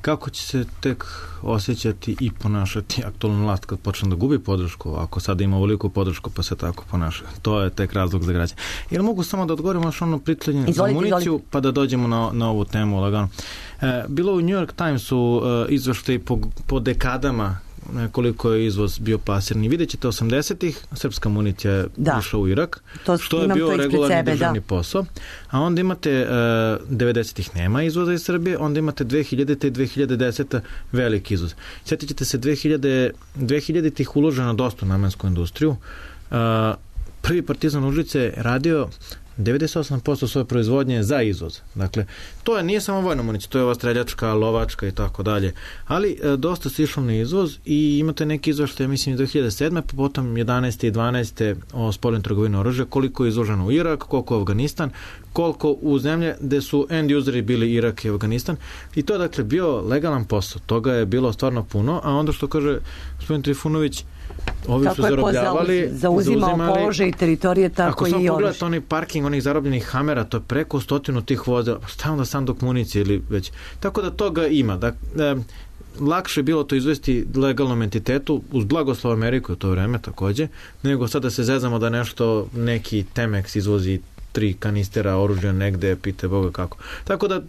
kako će se tek osjećati i ponašati aktualna vlast kad počne da gubi podršku, ako sada ima veliku podršku pa se tako ponaša. To je tek razlog za građane. Ili mogu samo da odgovorim još ono pitanje za municiju, pa da dođemo na ovu temu lagano. Bilo u New York Timesu izveštaj po dekadama koliko je izvoz bio plasiran. Vidjet ćete 80-ih, srpska municija je išla u Irak, što je bio regularni državni posao. A onda imate 90-ih nema izvoza iz Srbije, onda imate 2000-te i 2010-te veliki izvoz. Sjetit ćete se 2000-ih uloženo dosta u namensku industriju. Prvi Partizan Užice je radio 98% svoje proizvodnje za izvoz. Dakle, to nije samo vojna municija, to je ova streljačka, lovačka i tako dalje. Ali dosta se išlo na izvoz i imate neki izveštaj, mislim, 2007. pa potom 11. i 12. o spoljnoj trgovini oružja, koliko je izloženo u Irak, koliko u Afganistan, koliko u zemlje gde su end useri bili Irak i Afganistan. I to je, dakle, bio legalan posao. Toga je bilo stvarno puno, a onda što kaže gospodin Trifunović, ovi su zarobljavali, zauzimao položaj i teritorije, tako i ako samo pogledate onaj parking onih zarobljenih Hamera, to je preko 100 tih vozila, šta onda sanduk municije ili već. Tako da toga ima. Lakše je bilo to izvesti legalnom entitetu, uz blagoslov Ameriku u to vreme takođe, nego sada se zezamo da nešto, neki Temex izvozi 3 kanistera oružja negde, pite Boga kako. Tako da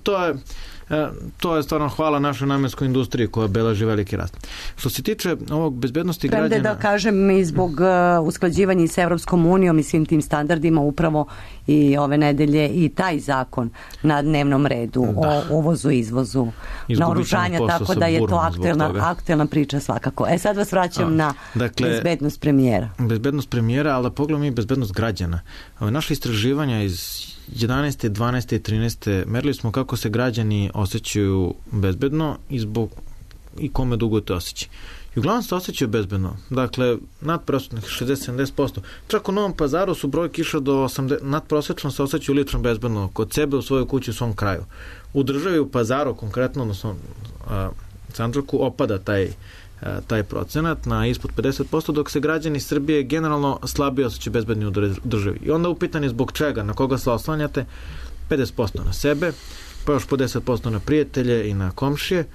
to je stvarno hvala našoj namenskoj industriji koja beleži veliki rast. Što se tiče ovog bezbednosti građana... Premde da kažem i zbog usklađivanja s Evropskom unijom i svim tim standardima, upravo i ove nedelje i taj zakon na dnevnom redu o uvozu i izvozu naoružanja, tako da je to aktuelna priča svakako. Sad vas vraćam na bezbednost premijera. Bezbednost premijera, ali pogledamo i bezbednost građana. Naše istraživanja iz 11. 12. i 13. merili smo kako se građani osjećaju bezbedno i kome dugo te osjeća. I uglavnom se osjećaju bezbedno. Dakle, nadprosečnih 60-70%. Čak u Novom Pazaru su brojke išle do 80%, nadprosečno se osjećaju lično bezbedno kod sebe, u svojoj kući, u svom kraju. U državi u Pazaru, konkretno, odnosno Sandžaku, opada taj procenat na ispod 50%, dok se građani Srbije generalno slabije osjećaju bezbedni u državi. I onda upitanje zbog čega, na koga se oslanjate, 50% na sebe, pa još po 10% na prijatelje i na komšije,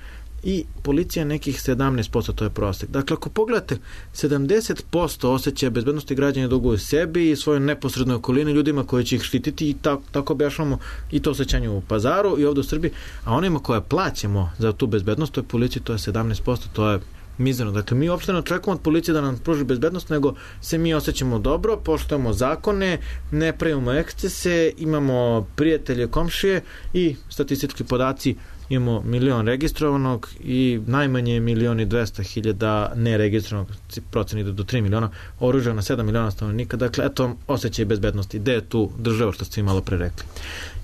i policija nekih 17%, to je prosek. Dakle, ako pogledate, 70% osjećaja bezbednosti građana duguju sebi i svojoj neposrednoj okolini, ljudima koji će ih štititi i tako objašnjamo i to osjećanje u Pazaru i ovdje u Srbiji, a onima koje plaćamo za tu bezbednost, to je policiji, to je 17%, to je mizerno. Dakle, mi uopšte ne očekujemo od policije da nam pruži bezbednost, nego se mi osjećamo dobro, poštujemo zakone, ne pravimo ekscese, imamo prijatelje, komšije i statistički podaci, imamo 1 milion registrovanog i najmanje 1.200.000 neregistrovanog, procen ide do 3 miliona, oružja na 7 miliona stanovnika. Dakle, eto, osjećaj bezbednosti. Gde je tu država, što ste malo pre rekli.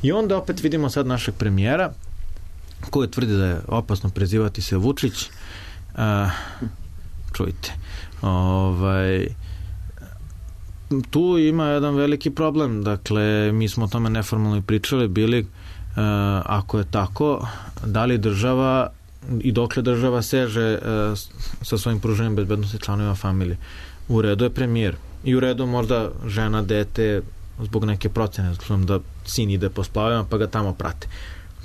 I onda opet vidimo sad našeg premijera, koji tvrdi da je opasno prezivati se Vučić. Čujte, tu ima jedan veliki problem. Dakle, mi smo o tome neformalno i pričali, bili, ako je tako, da li država i dokle država seže sa svojim pruženjem bezbednosti članovima familije. U redu je premijer i u redu možda žena, dete, zbog neke procene, da sin ide po splavima pa ga tamo prate.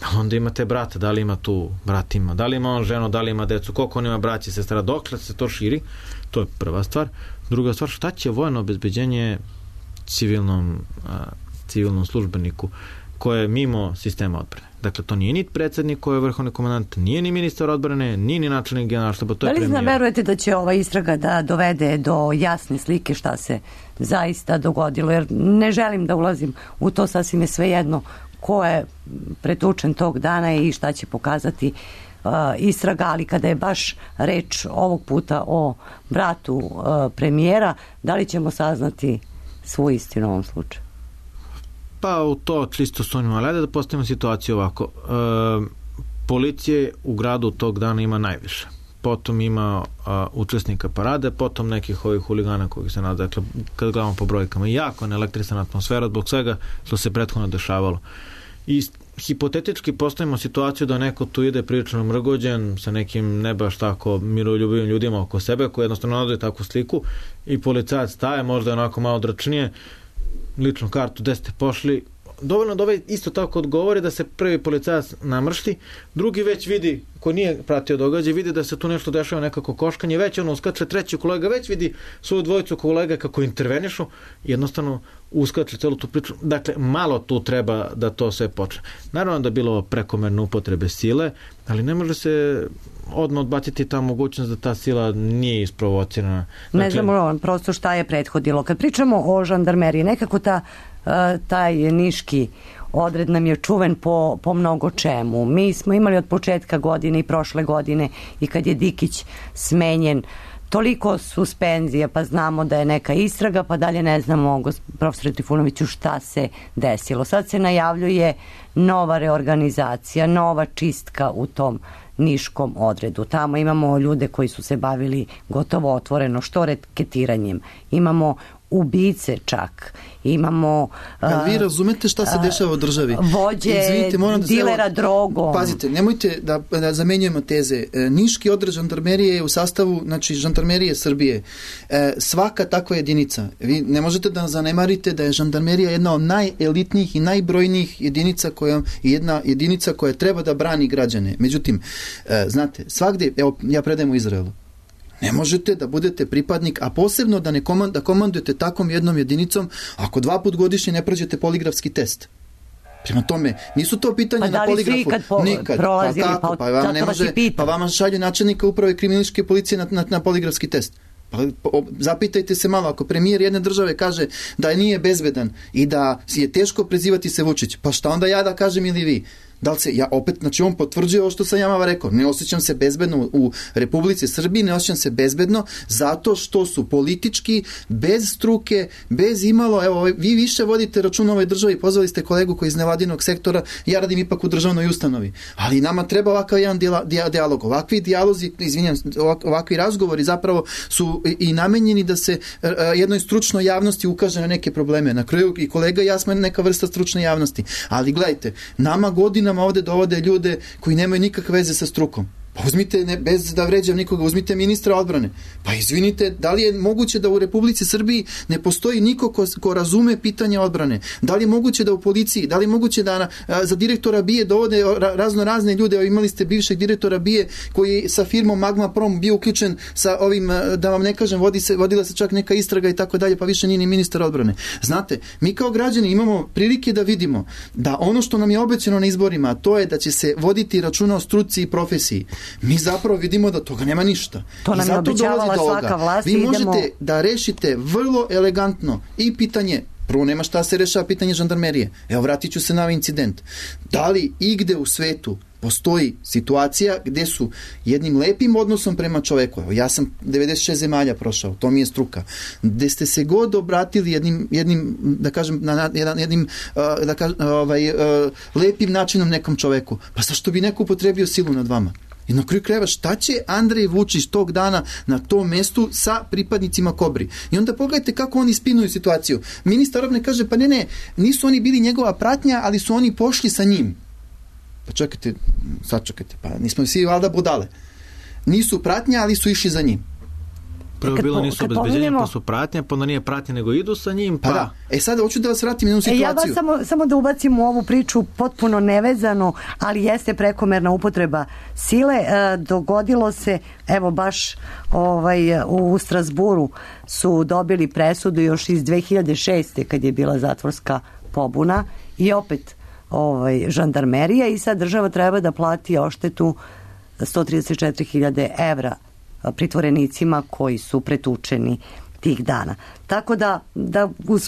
Ali onda imate brata, da li ima tu brat ima, da li ima on ženu, da li ima decu, koliko on ima braći, sestara, dokle se to širi, to je prva stvar. Druga stvar, šta će vojno obezbeđenje civilnom službeniku koje je mimo sistema odbrane? Dakle, to nije ni predsjednik koji je vrhovni komandant, nije ni ministar odbrane, nije ni načelnik generalštaba, to je premijer. Da li verujete da će ova istraga da dovede do jasne slike šta se zaista dogodilo? Jer ne želim da ulazim u to, sasvim je svejedno ko je pretučen tog dana i šta će pokazati istraga, ali kada je baš reč ovog puta o bratu premijera, da li ćemo saznati svu istinu u ovom slučaju? Pa u to čisto sumnjamo, ali ajde da postavimo situaciju ovako. Policije u gradu tog dana ima najviše. Potom ima učesnika parade, potom nekih ovih huligana koji se nada, dakle, kad gledamo po brojkama, jako neelektrisana atmosfera zbog svega što se prethodno dešavalo. I hipotetički postavimo situaciju da neko tu ide prilično mrgođen sa nekim ne baš tako miroljubivim ljudima oko sebe koji jednostavno nadaju takvu sliku i policajac staje, možda onako malo dračnije, ličnu kartu, gde ste pošli, dovoljno da ovaj isto tako odgovori da se prvi policajac namršti, drugi već vidi, ko nije pratio događaj, vidi da se tu nešto dešava, nekako koškanje, već ono uskače, treći kolega već vidi svoju dvojicu kolega kako intervenišu, jednostavno uskače celu tu priču. Dakle, malo tu treba da to sve počne. Naravno da je bilo prekomerne upotrebe sile, ali ne može se odmah odbaciti ta mogućnost da ta sila nije isprovocirana. Dakle, ne znamo prosto šta je prethodilo. Kad pričamo o žandarmeriji, nekako taj niški odred nam je čuven po mnogo čemu. Mi smo imali od početka godine i prošle godine i kad je Dikić smenjen toliko suspenzija, pa znamo da je neka istraga, pa dalje ne znamo, profesore Trifunoviću, šta se desilo. Sad se najavljuje nova reorganizacija, nova čistka u tom niškom odredu. Tamo imamo ljude koji su se bavili gotovo otvoreno što reketiranjem. Imamo ubice čak. Imamo vi razumete šta se dešava u državi? Vođe, dilera drogom. Pazite, nemojte da zamenjujemo teze. Niški odred žandarmerije je u sastavu, znači žandarmerije Srbije. Svaka takva jedinica. Vi ne možete da zanemarite da je žandarmerija jedna od najelitnijih i najbrojnijih jedinica jedinica koja treba da brani građane. Međutim, znate, svagdje, evo, ja predajem u Izraelu. Ne možete da budete pripadnik, a posebno da komandujete takvom jednom jedinicom ako 2 puta godišnje ne prođete poligrafski test. Prema tome, nisu to pitanja na poligrafu. Nikad. Prolazili, pa vama šalju načelnika uprave kriminalističke policije na poligrafski test. Pa zapitajte se malo, ako premijer jedne države kaže da nije bezbedan i da je teško prezivati se Vučić, pa šta onda ja da kažem ili vi? Da li se, ja opet, znači on potvrđuje ovo što sam ja rekao, ne osjećam se bezbedno u Republici Srbiji, ne osjećam se bezbedno zato što su politički, bez struke, bez imalo, evo, vi više vodite račun o ovoj državi, pozvali ste kolegu koji iz nevladinog sektora, ja radim ipak u državnoj ustanovi, ali nama treba ovakav jedan dijalog, ovakvi dijalozi, ovakvi razgovori zapravo su i namenjeni da se jednoj stručnoj javnosti ukaže na neke probleme. Na kraju i kolega i ja smo neka vrsta stručne javnosti, ali gledajte, nama godinama ovdje dovode ljude koji nemaju nikakve veze sa strukom. Pa uzmite, bez da vređam nikoga, uzmite ministra odbrane. Pa izvinite, da li je moguće da u Republici Srbiji ne postoji niko ko razume pitanje odbrane? Da li je moguće da u policiji, da li je moguće da za direktora BIA dovode razne ljude, imali ste bivšeg direktora BIA koji sa firmom Magma Prom bio uključen sa ovim, da vam ne kažem, vodila se čak neka istraga i tako dalje, pa više nije ni ministar odbrane. Znate, mi kao građani imamo prilike da vidimo da ono što nam je obećano na izborima, to je da će se voditi računa o struci i profesiji. Mi zapravo vidimo da toga nema ništa. To nam je obećavala svaka vlast. Vi možete da rešite vrlo elegantno i pitanje, prvo nema šta se rešava pitanje žandarmerije. Evo, vratit ću se na ovaj incident. Da li igde u svetu postoji situacija gde su jednim lepim odnosom prema čoveku, evo, ja sam 96 zemalja prošao, to mi je struka, gde ste se god obratili jednim da kažem, jednim lepim načinom nekom čoveku, pa zašto bi neko upotrebio silu nad vama? I na kraju krajeva, šta će Andrej Vučić tog dana na tom mestu sa pripadnicima Kobri? I onda pogledajte kako oni spinuju situaciju. Ministar odbrane kaže, pa ne, nisu oni bili njegova pratnja, ali su oni pošli sa njim. Pa čekajte, sačekajte, pa nismo svi valjda budale. Nisu pratnja, ali su išli za njim. Prvo bilo nisu obezbeđenje, pa su pratnja, pa onda nije pratnja, nego idu sa njim, pa da. Sada hoću da vas vratim jednu situaciju. Ja vas samo da ubacim u ovu priču potpuno nevezano, ali jeste prekomerna upotreba sile. Dogodilo se, evo baš u Strasburu su dobili presudu još iz 2006. kad je bila zatvorska pobuna i opet žandarmerija i sad država treba da plati odštetu 134.000 evra pritvorenicima koji su pretučeni tih dana. Tako da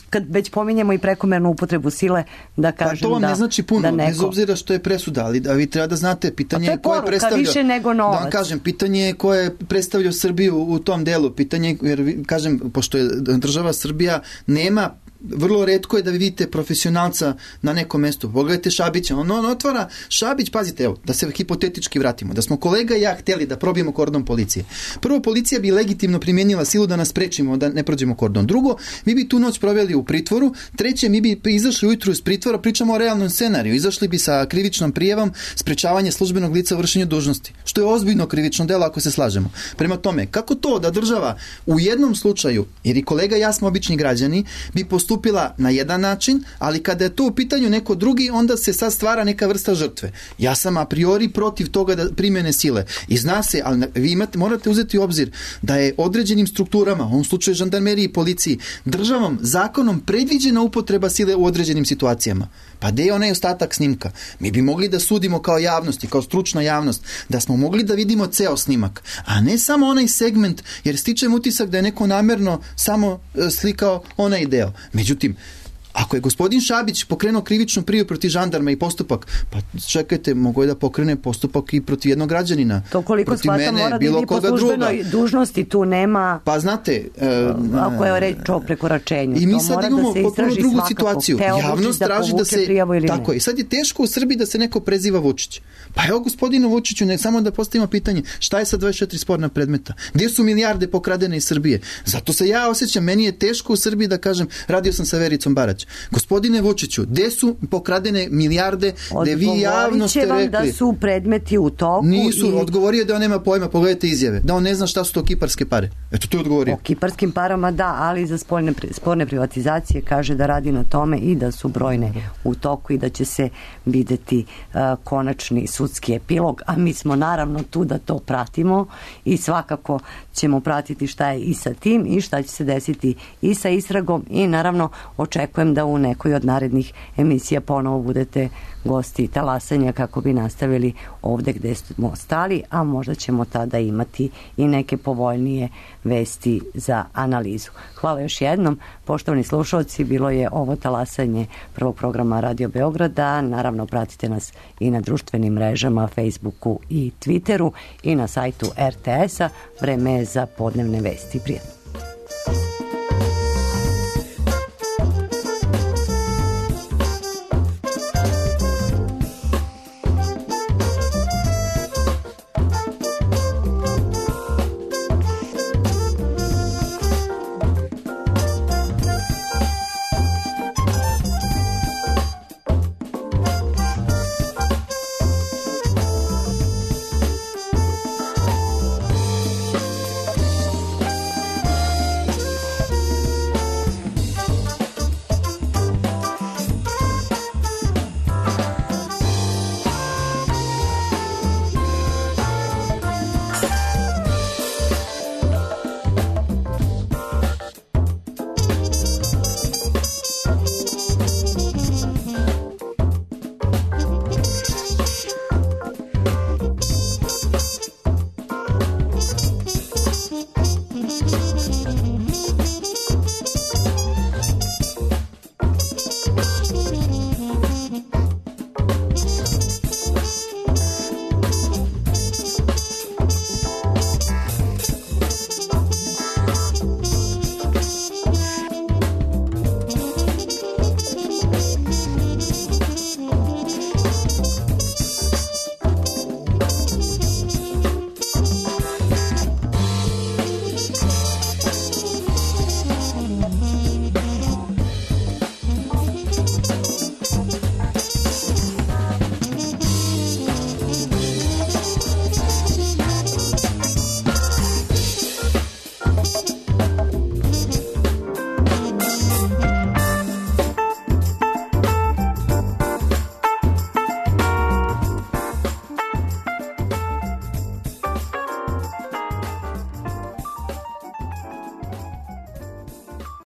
kad već pominjemo i prekomernu upotrebu sile, da kažem da... To vam ne znači puno, bez obzira što je presuda, ali da vi treba da znate, pitanje je ko je predstavljao... više nego novac. Da vam kažem, pitanje je ko je predstavljao Srbiju u tom delu, pitanje, jer kažem, pošto je država Srbija, nema, vrlo retko je da vidite profesionalca na nekom mestu. Pogledajte Šabića, on otvara Šabić, pazite, evo, da se hipotetički vratimo, da smo kolega i ja hteli da probijemo kordon policije. Prvo, policija bi legitimno primijenila silu da nas sprečimo, da ne prođemo kordon. Drugo, mi bi tu noć proveli u pritvoru. Treće, mi bi izašli ujutru iz pritvora, pričamo o realnom scenariju, izašli bi sa krivičnom prijavom sprečavanje službenog lica u vršenju dužnosti, što je ozbiljno krivično delo ako se slažemo. Prema tome, kako to da država u jednom slučaju, jer i kolega i ja smo obični građani, bi postupila na jedan način, ali kada je to u pitanju neko drugi, onda se sad stvara neka vrsta žrtve. Ja sam a priori protiv toga da primjene sile. I zna se, ali vi morate uzeti u obzir da je određenim strukturama, u ovom slučaju žandarmeriji i policiji, državom, zakonom predviđena upotreba sile u određenim situacijama. Pa gde je onaj ostatak snimka? Mi bi mogli da sudimo kao javnost i kao stručna javnost, da smo mogli da vidimo ceo snimak, a ne samo onaj segment, jer stičem utisak da je neko namerno samo slikao onaj deo. Međutim, ako je gospodin Šabić pokrenuo krivičnu prijavu protiv žandarma i postupak, pa čekajte, mogu je da pokrene postupak i protiv jednog građanina. To koliko shvatam mora da ide po službenoj dužnosti, tu nema... Pa znate... ako je reč o prekoračenju, i mi sad imamo potpuno drugu situaciju. Javnost traži da se... Tako je. I sad je teško u Srbiji da se neko preziva Vučić. Pa evo gospodinu Vučiću, ne samo da postavimo pitanje, šta je sa 24 sporna predmeta? Gdje su milijarde pokradene iz Srbije? Zato se ja osjećam, meni je teško u Srbiji da kažem, radio sam sa Vericom Barać. Gospodine Vučiću, gde su pokradene milijarde, gde vi javno ste rekli... Odgovorit će vam da su predmeti u toku... Nisu, odgovorio da on nema pojma, pogledajte izjave, da on ne zna šta su to kiparske pare. Eto, to je odgovorio. O kiparskim parama da, ali za sporne privatizacije kaže da radi na tome i da su brojne u toku i da će se videti konačni sudski epilog, a mi smo naravno tu da to pratimo i svakako ćemo pratiti šta je i sa tim i šta će se desiti i sa istragom i naravno očekujem da u nekoj od narednih emisija ponovo budete gosti talasanja kako bi nastavili ovde gde smo stali, a možda ćemo tada imati i neke povoljnije vesti za analizu. Hvala još jednom, poštovani slušalci, bilo je ovo talasanje prvog programa Radio Beograda, naravno pratite nas i na društvenim mrežama, Facebooku i Twitteru i na sajtu RTS-a. Vreme je za podnevne vesti. Prijatno.